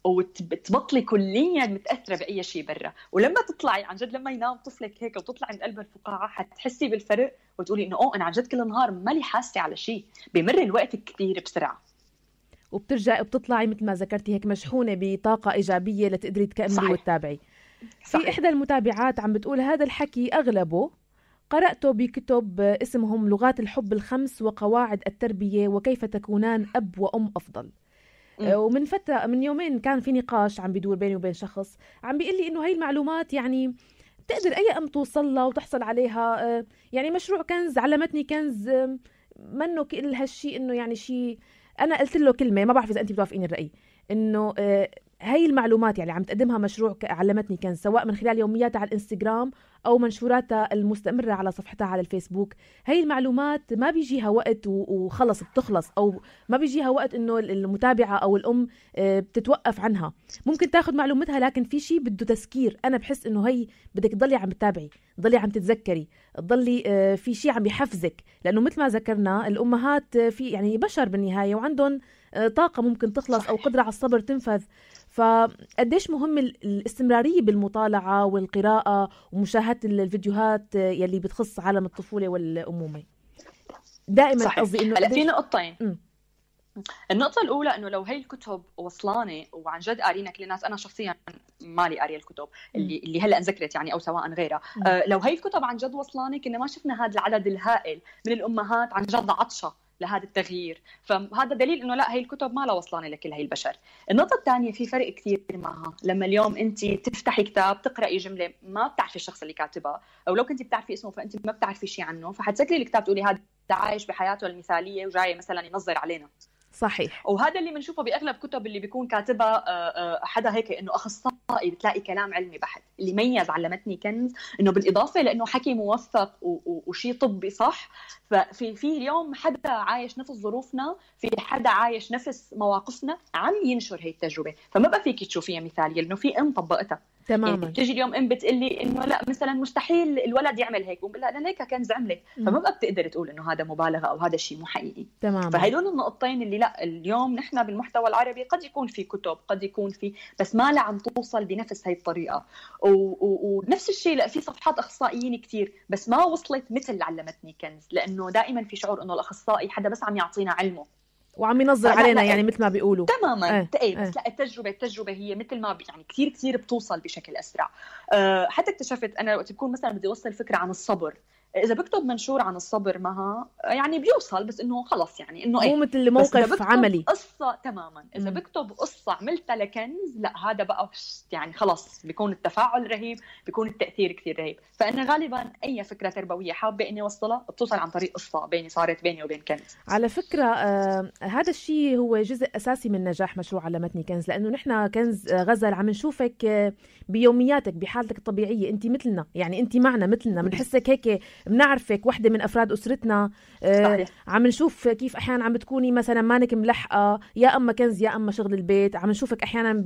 وتبطلي كليا متاثره باي شيء برا. ولما تطلعي عن جد، لما ينام طفلك هيك وتطلعي من قلب الفقاعه، حتحسي بالفرق وتقولي انه انا عن جد كل نهار مالي حاسه على شيء، بمر الوقت كثير بسرعه، وبترجعي وبتطلعي مثل ما ذكرتي هيك مشحونه بطاقه ايجابيه لتقدري تكملي وتتابعي. في احدى المتابعات عم بتقول هذا الحكي اغلبه قرأته بكتب اسمهم لغات الحب الخمس وقواعد التربيه وكيف تكونان اب وام افضل. ومن فترة من يومين كان في نقاش عم بيدور بيني وبين شخص عم بيقول لي إنه هاي المعلومات يعني تقدر أي أم توصل لها وتحصل عليها. يعني مشروع كنز علمتني كنز منه كل هالشي، إنه يعني شيء. أنا قلت له كلمة ما بعرف إذا أنت بتوافقين الرأي، إنه هاي المعلومات يعني عم تقدمها مشروع علمتني كنز، سواء من خلال يومياتها على الانستغرام أو منشوراتها المستمرة على صفحتها على الفيسبوك. هاي المعلومات ما بيجيها وقت وخلص بتخلص، أو ما بيجيها وقت إنه المتابعة أو الأم بتتوقف عنها. ممكن تاخد معلومتها، لكن في شيء بده تذكير. أنا بحس إنه هي بدك تضلي عم تتابعي، تضلي عم تتذكري، تضلي في شيء عم يحفزك، لأنه مثل ما ذكرنا الأمهات في يعني بشر بالنهاية وعندهم طاقة ممكن تخلص أو قدرة على الصبر تنفذ. فقديش مهم الاستمرارية بالمطالعة والقراءة ومشاهدة الفيديوهات يلي بتخص عالم الطفولة والأمومة دائما. قصدي إنه هلا في نقطتين. النقطة الأولى إنه لو هي الكتب وصلاني وعن جد قارينا كل الناس، أنا شخصيا مالي قارية الكتب اللي هلا انذكرت يعني أو سواء غيرها، لو هي الكتب عن جد وصلاني كنا ما شفنا هذا العدد الهائل من الأمهات عن جد عطشة لهذا التغيير. فهذا دليل إنه لا، هي الكتب ما لا وصلاني لكل هي البشر. النقطة الثانية، في فرق كتير معها. لما اليوم أنت تفتحي كتاب تقرأي جملة ما بتعرفي الشخص اللي كاتبها، أو لو كنت بتعرفي اسمه فأنت ما بتعرفي شيء عنه، فحتسكري الكتاب تقولي هذا عايش بحياته المثالية وجاي مثلا ينظر علينا. صحيح. وهذا اللي بنشوفه باغلب كتب اللي بيكون كاتبها حدا هيك انه اخصائي، بتلاقي كلام علمي بحت. اللي ميز علمتني كنز انه بالاضافه لانه حكي موثق وشيء طبي صح، ففي اليوم حدا عايش نفس ظروفنا، في حدا عايش نفس مواقفنا عم ينشر هي التجربه، فما بقى فيك تشوفيها مثاليه لانه في ام طبقتها تماما. يعني بتجي اليوم ام بتقلي انه لا مثلا مستحيل الولد يعمل هيك، وبقول لا انا هيك كنز عملت، فما بقى بتقدر تقول انه هذا مبالغه او هذا الشيء مو حقيقي. تماما. فهدول النقطتين اللي لا، اليوم نحن بالمحتوى العربي قد يكون في كتب، قد يكون في، بس ما لا عم توصل بنفس هاي الطريقه. ونفس الشيء لا، في صفحات اخصائيين كتير بس ما وصلت مثل علمتني كنز، لانه دائما في شعور انه الاخصائي حدا بس عم يعطينا علمه وعم ينظر علينا يعني مثل ما بيقولوا. تماما. بس لا، التجربه هي مثل ما يعني كثير بتوصل بشكل اسرع. حتى اكتشفت انا وقت بكون مثلا بدي اوصل فكره عن الصبر، اذا بكتب منشور عن الصبر معها يعني بيوصل، بس انه خلص يعني انه مو مثل موقف عملي قصه تماما. اذا بكتب قصه عملتها لكنز، لا هذا بقى يعني خلص بيكون التفاعل رهيب، بيكون التاثير كثير رهيب. فانا غالبا اي فكره تربويه حابه اني اوصلها بتوصل عن طريق قصه صارت بيني وبين كنز. على فكره هذا الشيء هو جزء اساسي من نجاح مشروع علمتني كنز، لانه نحن كنز غزل عم نشوفك بيومياتك بحالتك الطبيعيه، انت مثلنا يعني، انت معنا مثلنا، بنحسك هيك، بنعرفك وحده من افراد اسرتنا. عم نشوف كيف احيانا عم بتكوني مثلا مانك ملحقه، يا اما كنز يا اما شغل البيت. عم نشوفك احيانا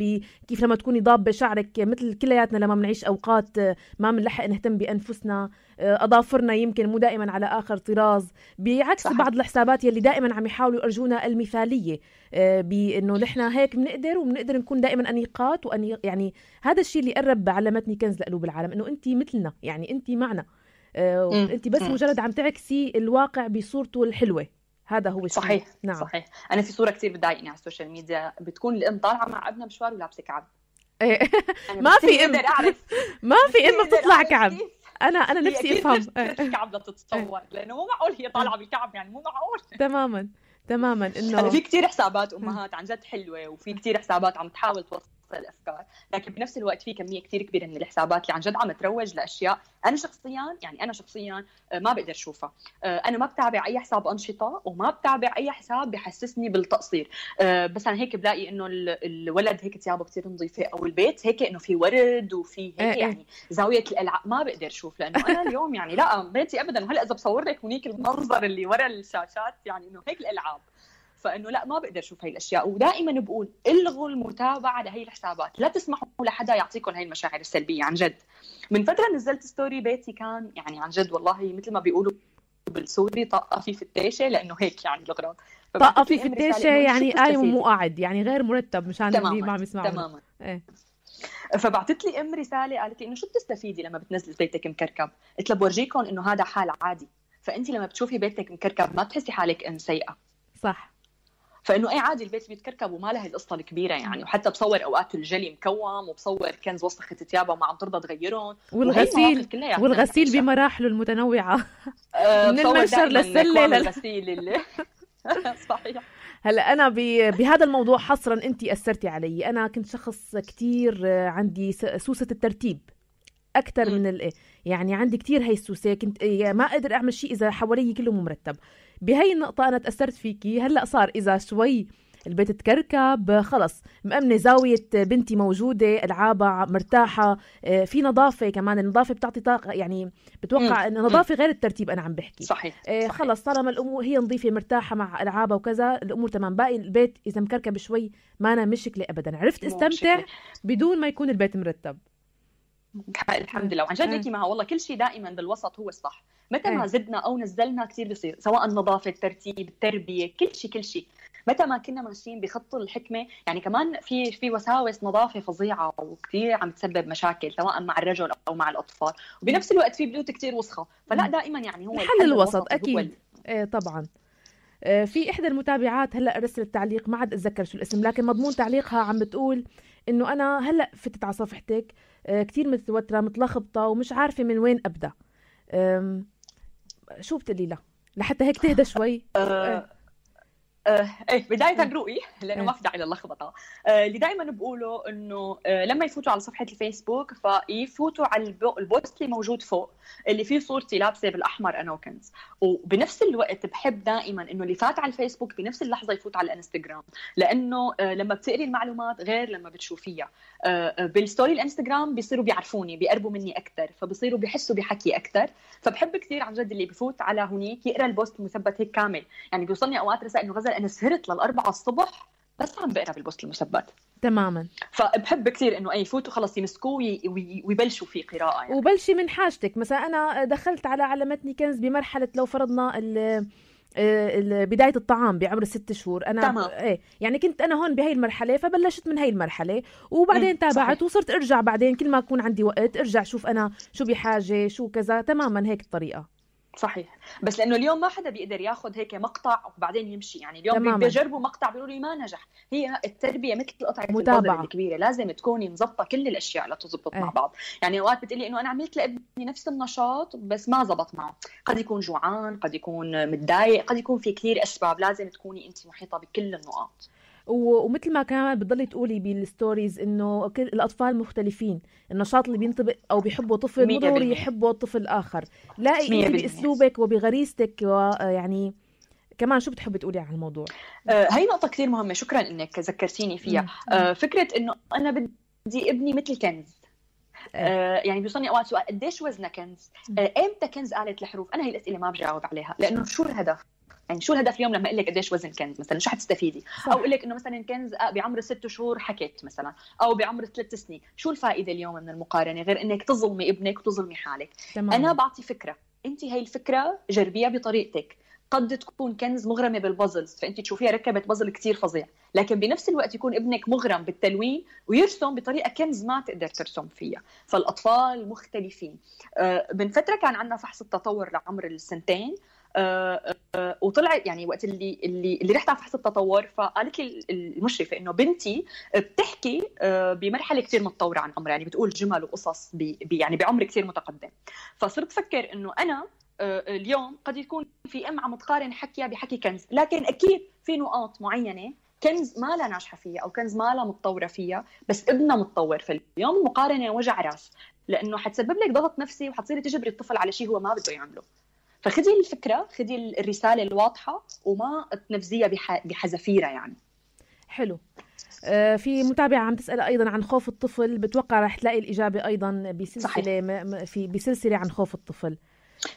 كيف لما تكوني ضابه شعرك، مثل كلياتنا لما بنعيش اوقات ما بنلحق نهتم بانفسنا، اظافرنا يمكن مو دائما على اخر طراز، بعكس صحيح. بعض الحسابات يلي دائما عم يحاولوا يرجونا المثاليه، بانه نحن هيك بنقدر نكون دائما انيقات يعني هذا الشيء اللي قرب علمتني كنز لقلوب العالم، انه انت مثلنا يعني، انت معنا، انت بس مجرد عم تعكسي الواقع بصورته الحلوه. هذا هو الشيء. صحيح. نعم. صحيح. انا في صوره كثير بتضايقني على السوشيال ميديا، بتكون الام طالعه مع ابنها مشوار ولابسه كعب. ما في ام ما في ام بتطلع كعب. انا نفسي افهم الكعب لا تتصور، لانه مو معقول هي طالعه بالكعب، يعني مو معقول. تماما انه في كثير حسابات امهات عن جد حلوه، وفي كثير حسابات عم تحاول توصل الافكار، لكن بنفس الوقت في كميه كثير كبيره من الحسابات اللي عن جد عم تروج لاشياء انا شخصيا ما بقدر اشوفها. انا ما بتابع اي حساب انشطه، وما بتابع اي حساب بحسسني بالتقصير. بس انا هيك بلاقي انه الولد هيك ثيابه كثير نظيفه، او البيت هيك انه في ورد وفي هيك يعني زاويه الالعاب، ما بقدر اشوف، لانه انا اليوم يعني لا بيتي ابدا. وهلا اذا بصور لك هنيك المنظر اللي ورا الشاشات يعني انه هيك الالعاب، فانه لا ما بقدر اشوف هاي الاشياء. ودائما بقول الغوا المتابعه لهي الحسابات، لا تسمحوا لحدا يعطيكم هاي المشاعر السلبيه. عن جد من فتره نزلت ستوري، بيتي كان يعني عن جد والله مثل ما بيقولوا بالسوري طاقه في فتاشه، لانه هيك يعني الاغراض طاقه في فتاشه يعني قايم ومو قاعد، يعني غير مرتب مشان اللي ما عم يسمعوا. تماما. فبعثت لي ام رساله قالت لي انه شو بتستفيدي لما بتنزلي بيتك مكركب؟ قلت لها بورجيكم انه هذا حال عادي، فانت لما بتشوفي بيتك مكركب ما تحسي حالك ام سيئه. صح. فانه اي عادي البيت بيتكركب وما لها القصه الكبيره يعني. وحتى بصور اوقات الجلي مكوم، وبصور كنز وسخت ثيابها وما عم ترضى تغيرهم، والغسيل بمراحله المتنوعه من المنشر للسله للغسيل صحيح. هلا انا بهذا الموضوع حصرا انت اثرتي علي. انا كنت شخص كتير عندي سوسه الترتيب اكثر من يعني عندي كتير هي السوسه، كنت ما اقدر اعمل شيء اذا حوالي كله مو مرتب. بهي النقطه انا تاثرت فيكي. هلا صار اذا شوي البيت تكركب، خلص مأمنة زاوية بنتي موجودة، ألعابها مرتاحة، في نظافة كمان. النظافة بتعطي طاقة، يعني بتوقع أن النظافة غير الترتيب. أنا عم بحكي صحيح. خلص طالما الأمور هي نظيفة مرتاحة مع ألعابها وكذا، الأمور تمام. باقي البيت إذا مكركب شوي ما أنا مشكلة أبدا. عرفت استمتع بدون ما يكون البيت مرتب. الحمد لله. وعن جد انت معها والله، كل شيء دائما بالوسط هو الصح. متى ما زدنا او نزلنا كثير بيصير، سواء النظافه، الترتيب، التربيه، كل شيء متى ما كنا ماشيين بخط الحكمه. يعني كمان في وساوس نظافه فظيعه وكثير عم تسبب مشاكل سواء مع الرجل او مع الاطفال، وبنفس الوقت في بيوت كثير وسخه. فلا دائما يعني هو الحل الوسط اكيد. طبعا. في احدى المتابعات هلا رسلت تعليق، ما عاد اتذكر شو الاسم، لكن مضمون تعليقها عم بتقول انه انا هلا فتت على صفحتك كتير متوتره متلخبطه ومش عارفه من وين ابدا. شو بتقولي لها لحتى هيك تهدى شوي؟ بداية رؤي، لأنه ما في داعي للخبطة. اللي دائما بقوله إنه لما يفوتوا على صفحة الفيسبوك فيفوتوا على البوست اللي موجود فوق اللي فيه صورتي لابسة بالأحمر أنا وكنز. وبنفس الوقت بحب دائما إنه اللي فات على الفيسبوك بنفس اللحظة يفوت على الانستغرام، لأنه لما بتقري المعلومات غير لما بتشوفيها. بالستوري الانستغرام بيصيروا بيعرفوني، بيقربوا مني أكتر، فبيصيروا بيحسوا بحكي أكتر. فبحب كثير عن جد اللي بفوت على هنيك يقرأ البوست المثبت هيك كامل. يعني بيوصلني أوقات رسائل إنه غزل أنا سهرت لل4 الصبح بس عم بقرا بالبوست المثبت تماما. فبحب كثير انه يفوتوا خلص يمسكوه ويبلشوا في قراءه يعني. وبلشي من حاجتك. مثلا انا دخلت على علمتني كنز بمرحله لو فرضنا بدايه الطعام بعمر 6 شهور انا يعني كنت انا هون بهي المرحله، فبلشت من هي المرحله وبعدين تابعت وصرت ارجع بعدين كل ما اكون عندي وقت ارجع شوف انا شو بحاجه شو كذا. تماما هيك الطريقه. صحيح. بس لانه اليوم ما حدا بيقدر ياخذ هيك مقطع وبعدين يمشي. يعني اليوم بيجربوا مقطع بيقولوا لي ما نجح. هي التربيه مثل قطعه البازل الكبيره، لازم تكوني مزبطه كل الاشياء لتزبط مع بعض. يعني اوقات بتقلي انه انا عملت لابني نفس النشاط بس ما زبط معه، قد يكون جوعان، قد يكون متضايق، قد يكون في كثير اسباب. لازم تكوني انت محيطه بكل النقاط. ومثل ما كمان بتضلي تقولي بالستوريز انه كل الاطفال مختلفين، النشاط اللي بينطبق او بيحبه طفل مو ضروري يحبه طفل اخر. لاقي انت باسلوبك وبغريزتك ويعني كمان شو بتحبي تقولي عن الموضوع؟ هاي نقطه كثير مهمه، شكرا انك ذكرتيني فيها. فكره انه انا بدي ابني مثل كنز. يعني بيوصلني اوقات سؤال قديش وزنه كنز؟ امتى كنز قالت الحروف؟ انا هي الاسئله ما بجاوب عليها، لانه شو الهدف؟ يعني شو الهدف اليوم لما اقول لك قديش وزن كنز مثلا؟ شو حتستفيدي؟ او اقول لك انه مثلا كنز بعمر 6 شهور حكيت مثلا، او بعمر 3 سنين. شو الفائده اليوم من المقارنه غير انك تظلمي ابنك وتظلمي حالك؟ انا بعطي فكره، انت هاي الفكره جربيها بطريقتك. قد تكون كنز مغرمه بالبازلز فانت تشوفيها ركبت بازل كتير فظيع، لكن بنفس الوقت يكون ابنك مغرم بالتلوين ويرسم بطريقه كنز ما تقدر ترسم فيها. فالاطفال مختلفين. من فتره كان عندنا فحص التطور لعمر السنتين، وطلع يعني وقت اللي رحت على فحص التطور فقالت لي المشرفه انه بنتي بتحكي بمرحله كثير متطوره عن عمرها، يعني بتقول جمل وقصص يعني بعمر كثير متقدم. فصرت افكر انه انا اليوم قد يكون في عم تقارن حكيها بحكي كنز، لكن اكيد في نقاط معينه كنز ما لا ناجحه فيها او كنز ما لا متطوره فيها، بس ابنها متطور. فاليوم المقارنه وجع راس، لانه حتسبب لك ضغط نفسي وحتصيري تجبري الطفل على شيء هو ما بده يعمله. فخذي الفكرة، خذي الرسالة الواضحة وما تنفذيها بحذافيرها يعني. حلو. في متابعة عم تسأل أيضا عن خوف الطفل، بتوقع رح تلاقي الإجابة أيضا بسلسلة عن خوف الطفل.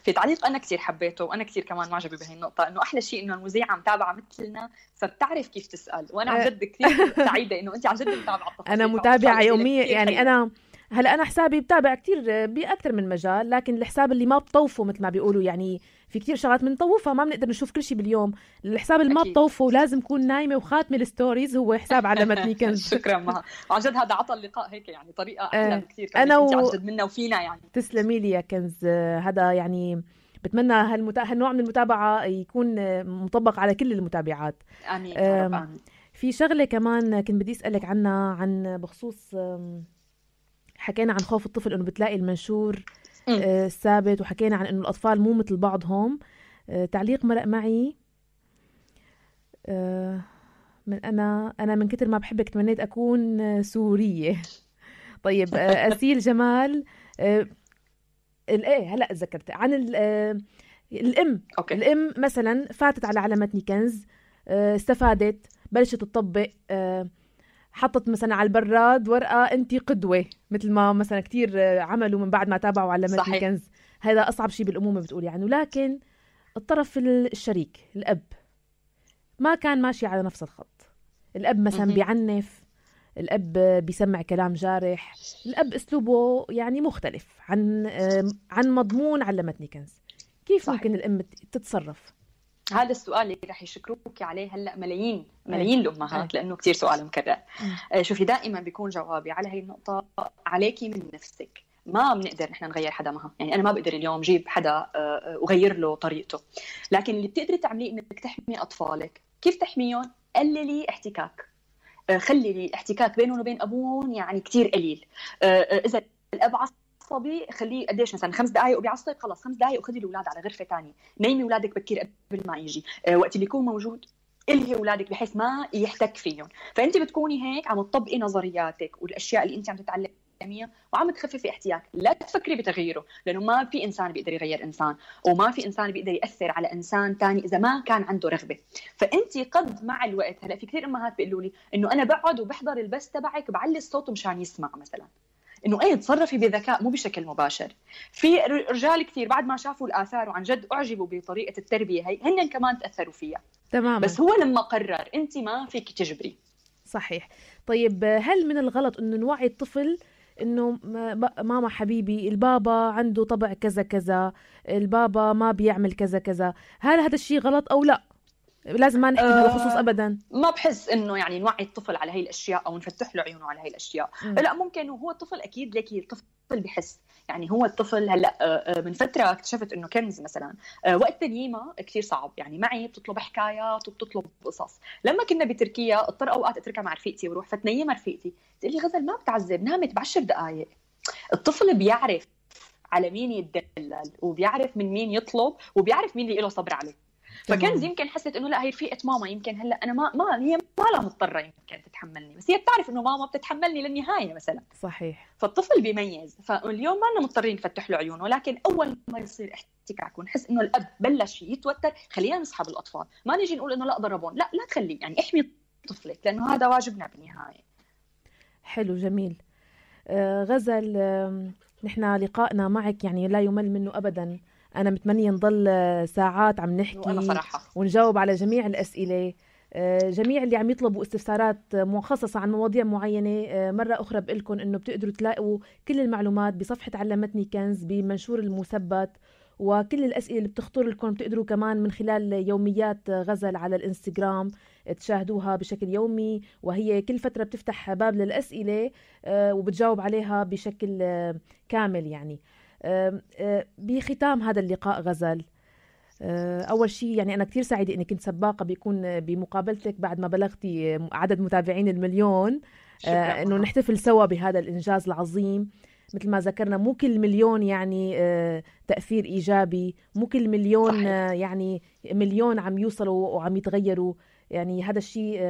في تعليق أنا كتير حبيته وأنا كتير كمان معجبة بهي النقطة، إنه أحلى شيء إنه المذيعة متابعة مثلنا فبتعرف كيف تسأل، وأنا عن جد كتير سعيدة إنه أنت عن جد متابعة التفاصيل. أنا متابعة يومية يعني أنا حسابي بتابع كتير بأكثر من مجال، لكن الحساب اللي ما بطوفه مثل ما بيقولوا، يعني في كتير شغلات بنطوفها ما بنقدر نشوف كل شيء باليوم. الحساب اللي ما بطوفه لازم كون نايمة وخاتمة الستوريز هو حساب علمتني كنز. شكرا مها، عن جد هذا عطى اللقاء هيك يعني طريقة أحلى بكثير. أنا عن جد منا وفينا يعني. تسلمي لي يا كنز. هذا يعني بتمنى هالنوع من المتابعة يكون مطبق على كل المتابعات. آمين يا رب آمين. في شغلة كمان كنت بدي أسألك عنها، عن بخصوص حكينا عن خوف الطفل انه بتلاقي المنشور ثابت، وحكينا عن انه الاطفال مو مثل بعضهم. تعليق مرق معي من انا من كتر ما بحبك تمنيت اكون سورية. طيب أسيل جمال هلا تذكرت عن الام. الام مثلا فاتت على علمتني كنز، استفادت، بلشت تطبق، حطت مثلا على البراد ورقة أنت قدوة، مثل ما مثلا كتير عملوا من بعد ما تابعوا علمتني كنز. هذا أصعب شيء بالأمومة بتقول يعني. لكن الطرف الشريك الأب ما كان ماشي على نفس الخط. الأب مثلا بيعنف، الأب بيسمع كلام جارح، الأب أسلوبه يعني مختلف عن مضمون علمتني كنز. كيف صحيح. ممكن الأم تتصرف؟ هذا السؤال اللي رح يشكروك عليه هلا ملايين الأمهات، لأنه كتير سؤال مكرر. شوفي دائما بيكون جوابي على هاي النقطة عليكي من نفسك. ما بنقدر نحن نغير حدا معها، يعني أنا ما بقدر اليوم جيب حدا وغير له طريقته، لكن اللي بتقدري تعمليه إنك تحمي أطفالك. كيف تحميهم؟ قللي احتكاك، خلي الاحتكاك بينهم وبين أبوهم يعني كتير قليل. إذا الأب عصبي خليه قديش مثلا 5 دقائق وبيعصب، خلص 5 دقائق وخذي الأولاد على غرفة تانية، نيمي أولادك بكير قبل ما يجي. وقت اللي يكون موجود إلهي أولادك بحيث ما يحتك فيهم. فأنت بتكوني هيك عم تطبقي نظرياتك والأشياء اللي أنت عم تتعلميها وعم تخففي احتياج. لا تفكري بتغييره، لأنه ما في إنسان بيقدر يغير إنسان، وما في إنسان بيقدر يأثر على إنسان تاني إذا ما كان عنده رغبة. فأنت قد مع الوقت، هلا في كثير أمهات بيقولوا لي إنه أنا بقعد وبحضر البث تبعك بعلي الصوت مشان يسمع مثلا. إنه أي تصرفي بذكاء مو بشكل مباشر. في رجال كثير بعد ما شافوا الآثار وعن جد أعجبوا بطريقة التربية هي، هن كمان تأثروا فيها تماما. بس هو لما قرر، أنت ما فيك تجبري. صحيح. طيب هل من الغلط إنه نوعي الطفل إنه ماما حبيبي البابا عنده طبع كذا كذا، البابا ما بيعمل كذا كذا، هل هذا الشيء غلط أو لا؟ لازم ما نحكي بهذا الخصوص ابدا. ما بحس انه يعني نوعي الطفل على هي الاشياء او نفتح له عيونه على هي الاشياء. لا ممكن، وهو الطفل اكيد ليكي الطفل بحس. يعني هو الطفل هلا من فتره اكتشفت انه كنز مثلا وقت تنييمه كثير صعب، يعني معي بتطلب حكايات وبتطلب قصص. لما كنا بتركيا اضطر اوقات اتركها مع رفيقتي وروح فتنيمها رفيقتي، تقول لي غزل ما بتعذب، نامت ب10 دقائق. الطفل بيعرف على مين يتدلل وبيعرف من مين يطلب وبيعرف مين اللي له صبر عليه. فكان يمكن حسيت انه لا هي رفيقه ماما، يمكن هلا انا ما هي ما لها مضطره يمكن تتحملني، بس هي بتعرف انه ماما بتتحملني للنهايه مثلا. صحيح. فالطفل بيميز. فاليوم ما لنا مضطرين نفتح له عيونه، ولكن اول ما يصير احتكاك ونحس انه الاب بلش يتوتر، خلينا نسحب الاطفال. ما نيجي نقول انه لا ضربون، لا تخليه، يعني احمي طفلك لانه هذا واجبنا بالنهايه. حلو جميل. غزل، نحن لقائنا معك يعني لا يمل منه ابدا. أنا متمنية نضل ساعات عم نحكي ونجاوب على جميع الأسئلة. جميع اللي عم يطلبوا استفسارات مخصصة عن مواضيع معينة، مرة أخرى بقلكم إنه بتقدروا تلاقوا كل المعلومات بصفحة علمتني كنز بمنشور المثبت، وكل الأسئلة اللي بتخطر لكم بتقدروا كمان من خلال يوميات غزل على الإنستغرام تشاهدوها بشكل يومي، وهي كل فترة بتفتح باب للأسئلة وبتجاوب عليها بشكل كامل. يعني بختام هذا اللقاء غزل، أول شيء يعني أنا كتير سعيدة إني كنت سباقة بيكون بمقابلتك بعد ما بلغتي عدد متابعين 1,000,000. إنه نحتفل سوا بهذا الإنجاز العظيم. مثل ما ذكرنا مو كل 1,000,000 يعني تأثير إيجابي، مو كل 1,000,000 يعني 1,000,000 عم يوصلوا وعم يتغيروا. يعني هذا الشيء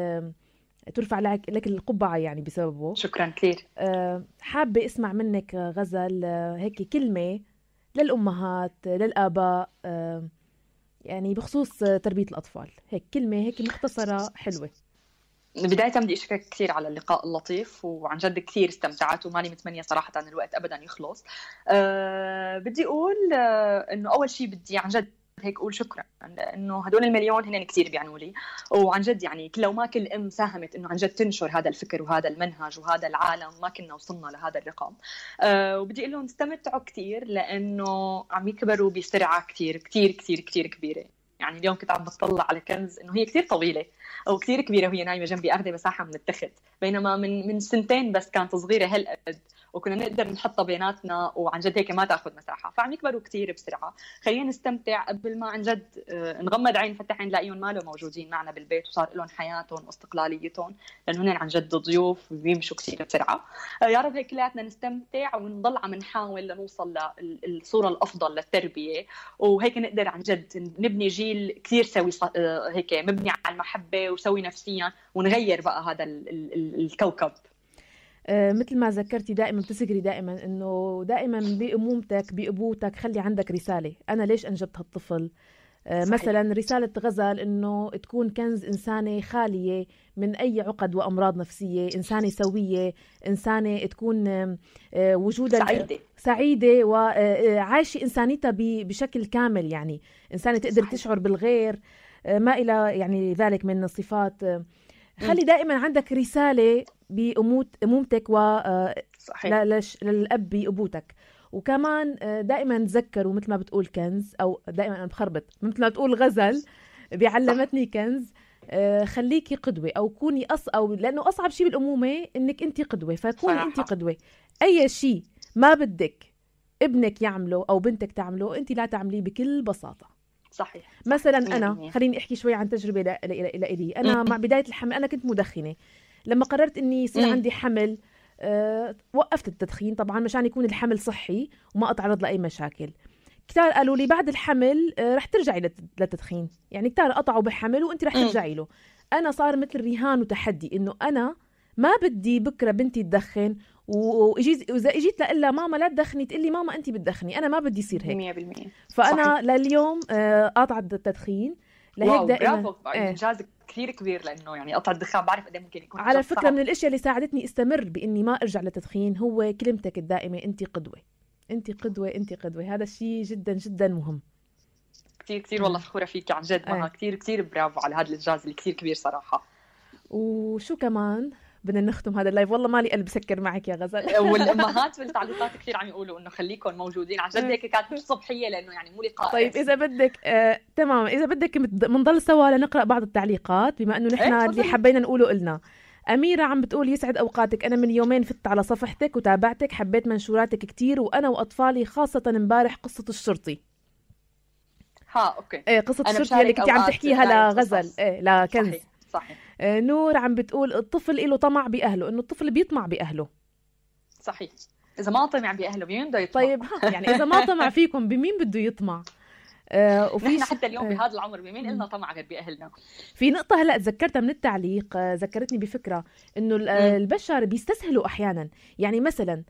ترفع لك القبعة يعني بسببه. شكرا كثير. حابة اسمع منك غزل هيك كلمة للأمهات للآباء يعني بخصوص تربية الأطفال، هيك كلمة هيك مختصرة حلوة. بداية بدي أشكرك كثير على اللقاء اللطيف، وعن جد كثير استمتعت وماني متمنية صراحة أن الوقت أبدا يخلص. بدي أقول أنه أول شيء بدي عن جد هيك أقول شكرا، لأنه هدول 1,000,000 هن كتير بيعنوا لي. وعن جد يعني لو ما كل أم ساهمت إنه عن جد تنشر هذا الفكر وهذا المنهج وهذا العالم ما كنا وصلنا لهذا الرقم. وبدي أقول لهم استمتعوا كتير، لأنه عم يكبروا بسرعة كتير كتير كتير كتير كبيرة. يعني اليوم كنت عم بطلع على كنز إنه هي كتير طويلة أو كتير كبيرة وهي نايمة جنبي أخذ مساحة من التخت، بينما من سنتين بس كانت صغيرة هالقد وكنا نقدر نحطها بيناتنا وعن جد هيك ما تاخذ مساحه. فعم يكبروا كتير بسرعه. خلينا نستمتع قبل ما عن جد نغمض عين نفتح عين نلاقيهم ما له موجودين معنا بالبيت وصار لهم حياتهم واستقلاليتهم، لانه هن عن جد ضيوف وبيمشوا كتير بسرعه. يا رب هيك كلياتنا نستمتع ونضل عم نحاول لنوصل للصوره الافضل للتربيه، وهيك نقدر عن جد نبني جيل كتير سوي هيك مبني على المحبه وسوي نفسيا، ونغير بقى هذا الكوكب. مثل ما ذكرتي دائما بتذكري دائما انه دائما بأمومتك بأبوتك خلي عندك رسالة. انا ليش انجبت هالطفل؟ مثلا رسالة غزل إنه تكون كنز إنسانة خالية من أي عقد وأمراض نفسية، إنسانة سوية، إنسانة تكون وجودها سعيدة وعايشة إنسانيتها بشكل كامل، يعني إنسانة تقدر تشعر بالغير، ما إلى يعني ذلك من الصفات. خلي دائما عندك رسالة بأمومتك للأب بأبوتك. وكمان دائما تذكروا مثل ما بتقول كنز، أو دائما أنا بخربط مثل ما بتقول غزل بيعلمتني كنز، خليكي قدوة أو كوني أو لأنه أصعب شيء بالأمومة إنك أنت قدوة، فكوني أنت قدوة. أي شيء ما بدك ابنك يعمله أو بنتك تعمله أنت لا تعمليه بكل بساطة. صحيح. مثلا أنا خليني أحكي شوي عن تجربة لإلي. أنا مع بداية الحمل أنا كنت مدخنة. لما قررت إني يصير عندي حمل وقفت التدخين طبعا مشان يكون الحمل صحي وما أتعرض لأي مشاكل. كتار قالوا لي بعد الحمل رح ترجعي للتدخين، يعني كتار قطعوا بحمل وانت رح ترجعي له. أنا صار مثل رهان وتحدي إنه أنا ما بدي بكرة بنتي تدخن، وإذا إجيت لإلا ماما لا تدخني تقلي ماما أنت بتدخني، أنا ما بدي يصير هيك 100%. فأنا صحيح. لليوم قاطعة التدخين. لهيك دائما إنجاز كثير كبير، لأنه يعني قطع الدخان بعرف قد ممكن يكون على فكرة صعب. من الأشياء اللي ساعدتني استمر بإني ما أرجع للتدخين هو كلمتك الدائمة أنت قدوة، أنت قدوة، أنت قدوة. هذا الشيء جدا جدا مهم. كتير والله فخورة فيك عن جد مها. كتير برافو على هذا الإنجاز اللي كتير كبير صراحة. وشو كمان بدنا نختم هذا اللايف، والله مالي قلب سكر معك يا غزل. والأمهات بالتعليقات كثير عم يقولوا إنه خليكم موجودين عن جد. هيك كانت مش صبحية لأنه يعني مو لقاء. طيب إذا بدك تمام، إذا بدك منضل سوا لنقرأ بعض التعليقات بما إنه نحن اللي حبينا نقوله قلنا. أميرة عم بتقول يسعد أوقاتك، أنا من يومين فت على صفحتك وتابعتك، حبيت منشوراتك كتير، وأنا وأطفالي خاصة امبارح قصة الشرطي. أوكي. قصة الشرطي اللي كنت عم تحكيها لغزل لكنز. صحيح. نور عم بتقول الطفل له طمع بأهله، إنه الطفل بيطمع بأهله. صحيح. إذا ما طمع بأهله بمين بده يطمع؟ طيب يعني إذا ما طمع فيكم بمين بده يطمع؟ نحن حتى اليوم بهذا العمر بمين إلنا طمع غير بأهلنا؟ في نقطة هلأ تذكرتها من التعليق، ذكرتني بفكرة إنه البشر بيستسهلوا أحيانا. يعني مثلا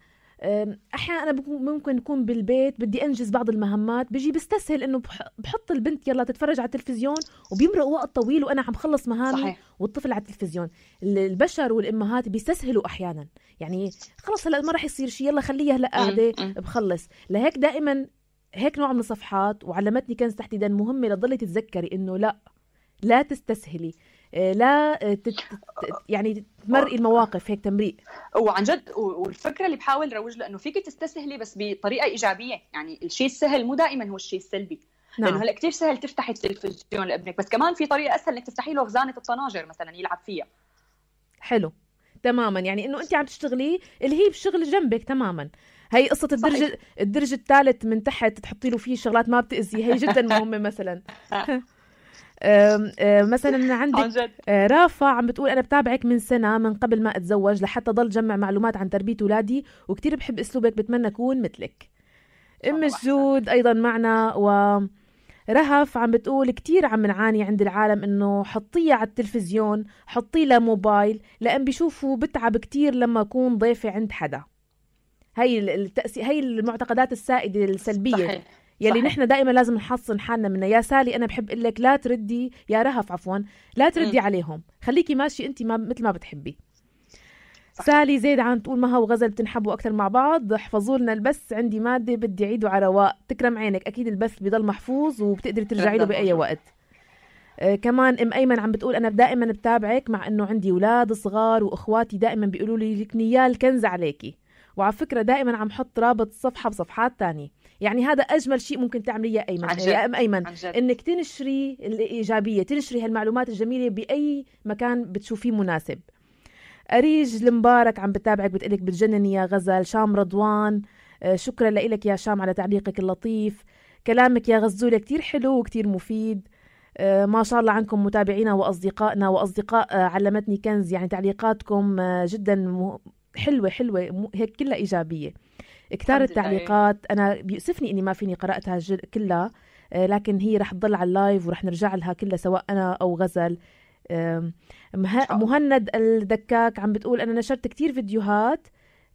أحيانا أنا ممكن أكون بالبيت بدي أنجز بعض المهمات، بيجي بستسهل إنه بحط البنت يلا تتفرج على التلفزيون وبيمرق وقت طويل وأنا عم خلص مهامي. صحيح. والطفل على التلفزيون. البشر والأمهات بيستسهلوا أحيانا، يعني خلص هلأ ما رح يصير شيء، يلا خليها هلأ قاعدة بخلص. لهيك دائما هيك نوع من الصفحات وعلمتني كنز تحديدا مهمة لضلي تتذكري إنه لا تستسهلي، لا يعني تمرقي المواقف هيك تمريق. وعن جد والفكرة اللي بحاول روج له إنه فيك تستسهلي بس بطريقة إيجابية، يعني الشيء السهل مو دائما هو الشيء السلبي. لأنه هلأ كتير سهل تفتحي التلفزيون لابنك، بس كمان في طريقة أسهل إنك تفتحي له خزانة الطناجر مثلا يلعب فيها. حلو تماما، يعني إنه أنت عم تشتغلي اللي هي بشغل جنبك تماما. هي قصة الدرج الثالث من تحت تحطي له فيه شغلات ما بتأذي، هي جدا مهمة مثلا. مثلا عندك رافا عم بتقول أنا بتابعك من سنة من قبل ما أتزوج لحتى ضل جمع معلومات عن تربية أولادي، وكتير بحب أسلوبك، بتمنى أكون مثلك. أم الجود أيضا معنا. ورهف عم بتقول كتير عم نعاني عند العالم إنه حطيه على التلفزيون، حطيه له موبايل، لأن بيشوفوا بتعب كتير لما أكون ضيفة عند حدا. هي المعتقدات السائدة السلبية. صحيح. يلي نحن دائما لازم نحصن حالنا منها. يا سالي أنا بحب أقول لك لا تردي، يا رهف عفوا لا تردي عليهم، خليكي ماشي أنت مثل ما بتحبي. صحيح. سالي زيد عم تقول مها وغزل بتنحبوا أكثر مع بعض، احفظوا لنا البث، عندي مادة بدي أعيده على رواق. تكرم عينك، أكيد البث بضل محفوظ وبتقدري ترجعي له بأي وقت. كمان أم أيمن عم بتقول أنا دائما بتابعك مع أنه عندي أولاد صغار وإخواتي دائما بيقولوا لي لك نيال كنز عليكي، وعلى فكرة دائما عم حط رابط الصفحة بصفحات تانية. يعني هذا أجمل شيء ممكن تعمليه يا أيمن، يا أم أيمن، إنك تنشري الإيجابية، تنشري هالمعلومات الجميلة بأي مكان بتشوفيه مناسب. أريج المبارك عم بتابعك بتقلك بتجنني يا غزل. شام رضوان شكرا لك يا شام على تعليقك اللطيف. كلامك يا غزولة كتير حلو وكتير مفيد. ما شاء الله عنكم متابعينا وأصدقائنا وأصدقاء علمتني كنز، يعني تعليقاتكم جدا حلوة هيك كلها إيجابية. كتار التعليقات أنا بيؤسفني إني ما فيني قرأتها كلها، لكن هي رح تضل على اللايف ورح نرجع لها كلها سواء أنا أو غزل. مهند الدكاك عم بتقول أنا نشرت كتير فيديوهات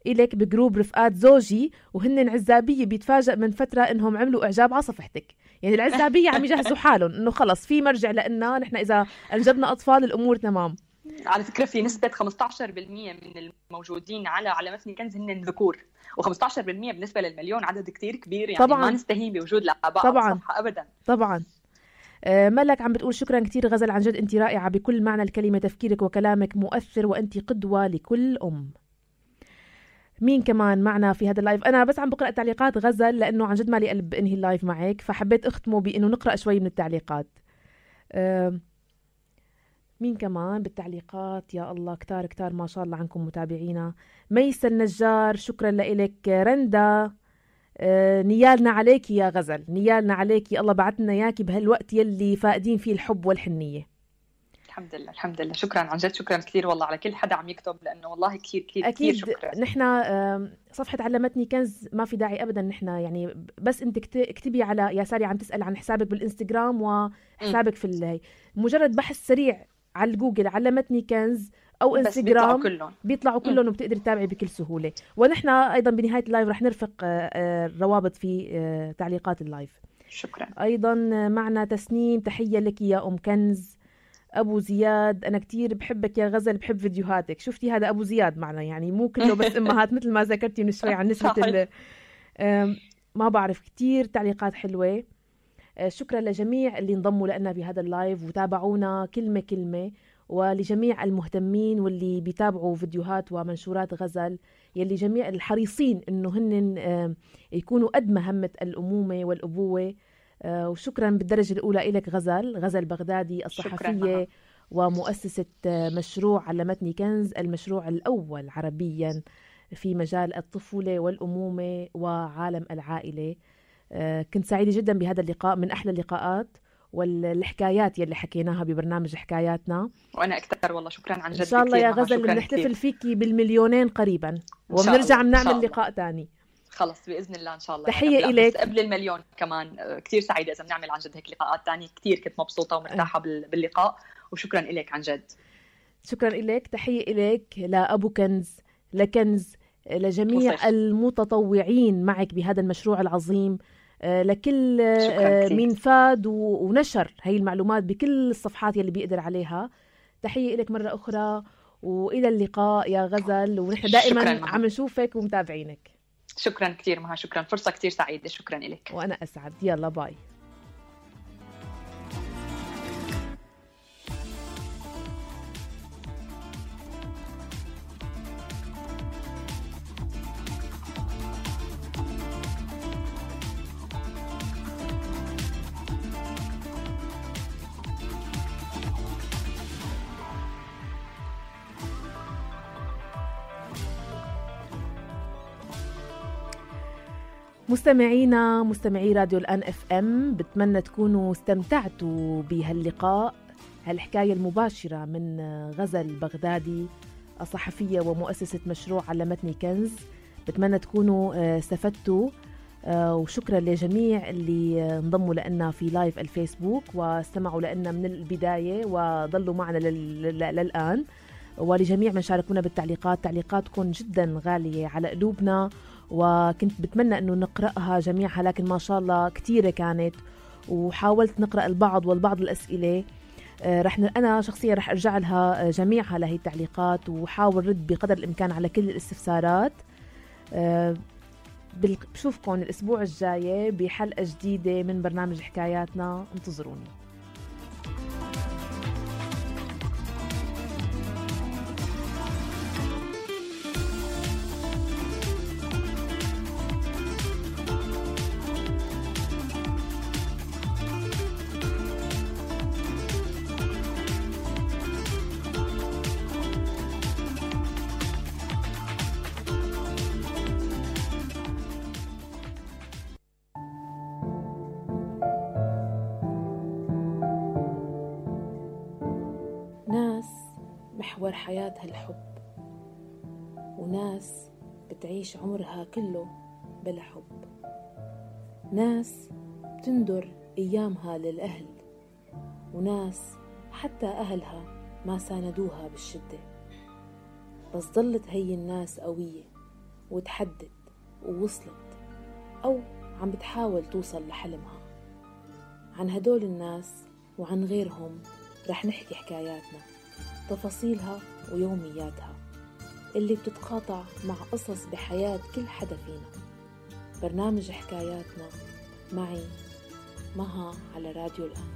إليك بجروب رفقات زوجي وهن عزابية، بيتفاجأ من فترة إنهم عملوا إعجاب على صفحتك. يعني العزابية عم يجهزوا حالهم إنه خلص في مرجع لإلنا نحن إذا أنجبنا أطفال الأمور تمام. على فكرة في نسبة 15% من الموجودين على متن كنز هن ذكور، و15% بالنسبة للمليون عدد كتير كبير، يعني طبعاً ما نستهين بوجود الآباء على الصفحة أبداً. طبعاً. ملك عم بتقول شكرا كتير غزل، عن جد أنت رائعة بكل معنى الكلمة، تفكيرك وكلامك مؤثر وأنت قدوة لكل أم. مين كمان معنا في هذا اللايف؟ أنا بس عم بقرأ تعليقات غزل لأنه عن جد مالي قلب أنهي اللايف معك، فحبيت أختمه بأنه نقرأ شوي من التعليقات. مين كمان بالتعليقات؟ يا الله كتار كتار ما شاء الله عنكم متابعينا. ميسة النجار شكرا لإلك. رندا نيالنا عليكي يا غزل، نيالنا عليكي، الله بعتنا ياكي بهالوقت يلي فاقدين فيه الحب والحنية. الحمد لله الحمد لله، شكرا عن جد، شكرا كثير والله على كل حدا عم يكتب، لأنه والله كثير كثير أكيد كثير شكرا. نحن صفحة علمتني كنز ما في داعي أبدا نحن يعني بس أنت اكتبي على يا ساري عم تسأل عن حسابك بالإنستغرام وحسابك في مجرد بحث سريع على جوجل علمتني كنز أو إنستغرام بيطلعوا كلهم وبتقدر تتابعي بكل سهولة. ونحن أيضا بنهاية اللايف رح نرفق الروابط في تعليقات اللايف. شكرا. أيضا معنا تسنيم، تحية لك يا أم كنز. أبو زياد أنا كتير بحبك يا غزل، بحب فيديوهاتك. شفتي هذا أبو زياد معنا، يعني مو كله بس أمهات مثل ما ذكرتي من شوي عن نسبة ما بعرف. كتير تعليقات حلوة. شكرا لجميع اللي انضموا لنا بهذا اللايف وتابعونا كلمة كلمة، ولجميع المهتمين واللي بيتابعوا فيديوهات ومنشورات غزل، يلي جميع الحريصين إنه هن يكونوا قد مهمة الأمومة والأبوة. وشكرا بالدرجة الأولى إلك غزل بغدادي الصحفية ومؤسسة مشروع علمتني كنز، المشروع الأول عربيا في مجال الطفولة والأمومة وعالم العائلة. كنت سعيدة جدا بهذا اللقاء، من أحلى اللقاءات والحكايات يلي حكيناها ببرنامج حكاياتنا. وأنا أكثر والله، شكرا عن جد. إن شاء الله يا غزل نحتفل فيكي بالمليونين قريبا وبنرجع نعمل لقاء تاني. خلص بإذن الله إن شاء الله. تحية إليك. قبل المليون كمان كتير سعيدة إذا بنعمل عن جد هيك لقاءات تانية، كتير كنت مبسوطة ومرتاحة باللقاء، وشكرا إليك عن جد. شكرا إليك. تحية إليك لأبو كنز، لكنز، لجميع المتطوعين معك بهذا المشروع العظيم، لكل مين فاد ونشر هاي المعلومات بكل الصفحات يلي بيقدر عليها. تحية إليك مرة أخرى وإلى اللقاء يا غزل، ونحن دائما عم نشوفك ومتابعينك. شكرا كثير مها، شكرا، فرصة كثير سعيدة، شكرا لك. وأنا أسعد. يلا باي. مستمعينا مستمعي راديو الآن FM، بتمنى تكونوا استمتعتوا بهاللقاء، هالحكاية المباشرة من غزل بغدادي الصحفية ومؤسسة مشروع علمتني كنز. بتمنى تكونوا استفدتوا، وشكرا لجميع اللي انضموا لنا في لايف الفيسبوك واستمعوا لنا من البداية وظلوا معنا للآن، ولجميع من شاركونا بالتعليقات. تعليقاتكم جدا غالية على قلوبنا، وكنت بتمنى أنه نقرأها جميعها، لكن ما شاء الله كتيرة كانت، وحاولت نقرأ البعض والبعض الأسئلة. أنا شخصيا رح أرجع لها جميعها لهي التعليقات، وحاول رد بقدر الإمكان على كل الاستفسارات. بشوفكم الأسبوع الجاي بحلقة جديدة من برنامج حكاياتنا، انتظروني. محور حياتها الحب، وناس بتعيش عمرها كله بلا حب، ناس بتندر أيامها للأهل، وناس حتى أهلها ما ساندوها بالشدة، بس ظلت هي الناس قوية وتحدت ووصلت أو عم بتحاول توصل لحلمها. عن هدول الناس وعن غيرهم رح نحكي حكاياتنا، تفاصيلها ويومياتها اللي بتتقاطع مع قصص بحياة كل حدا فينا. برنامج حكاياتنا معي مها على راديو الآن.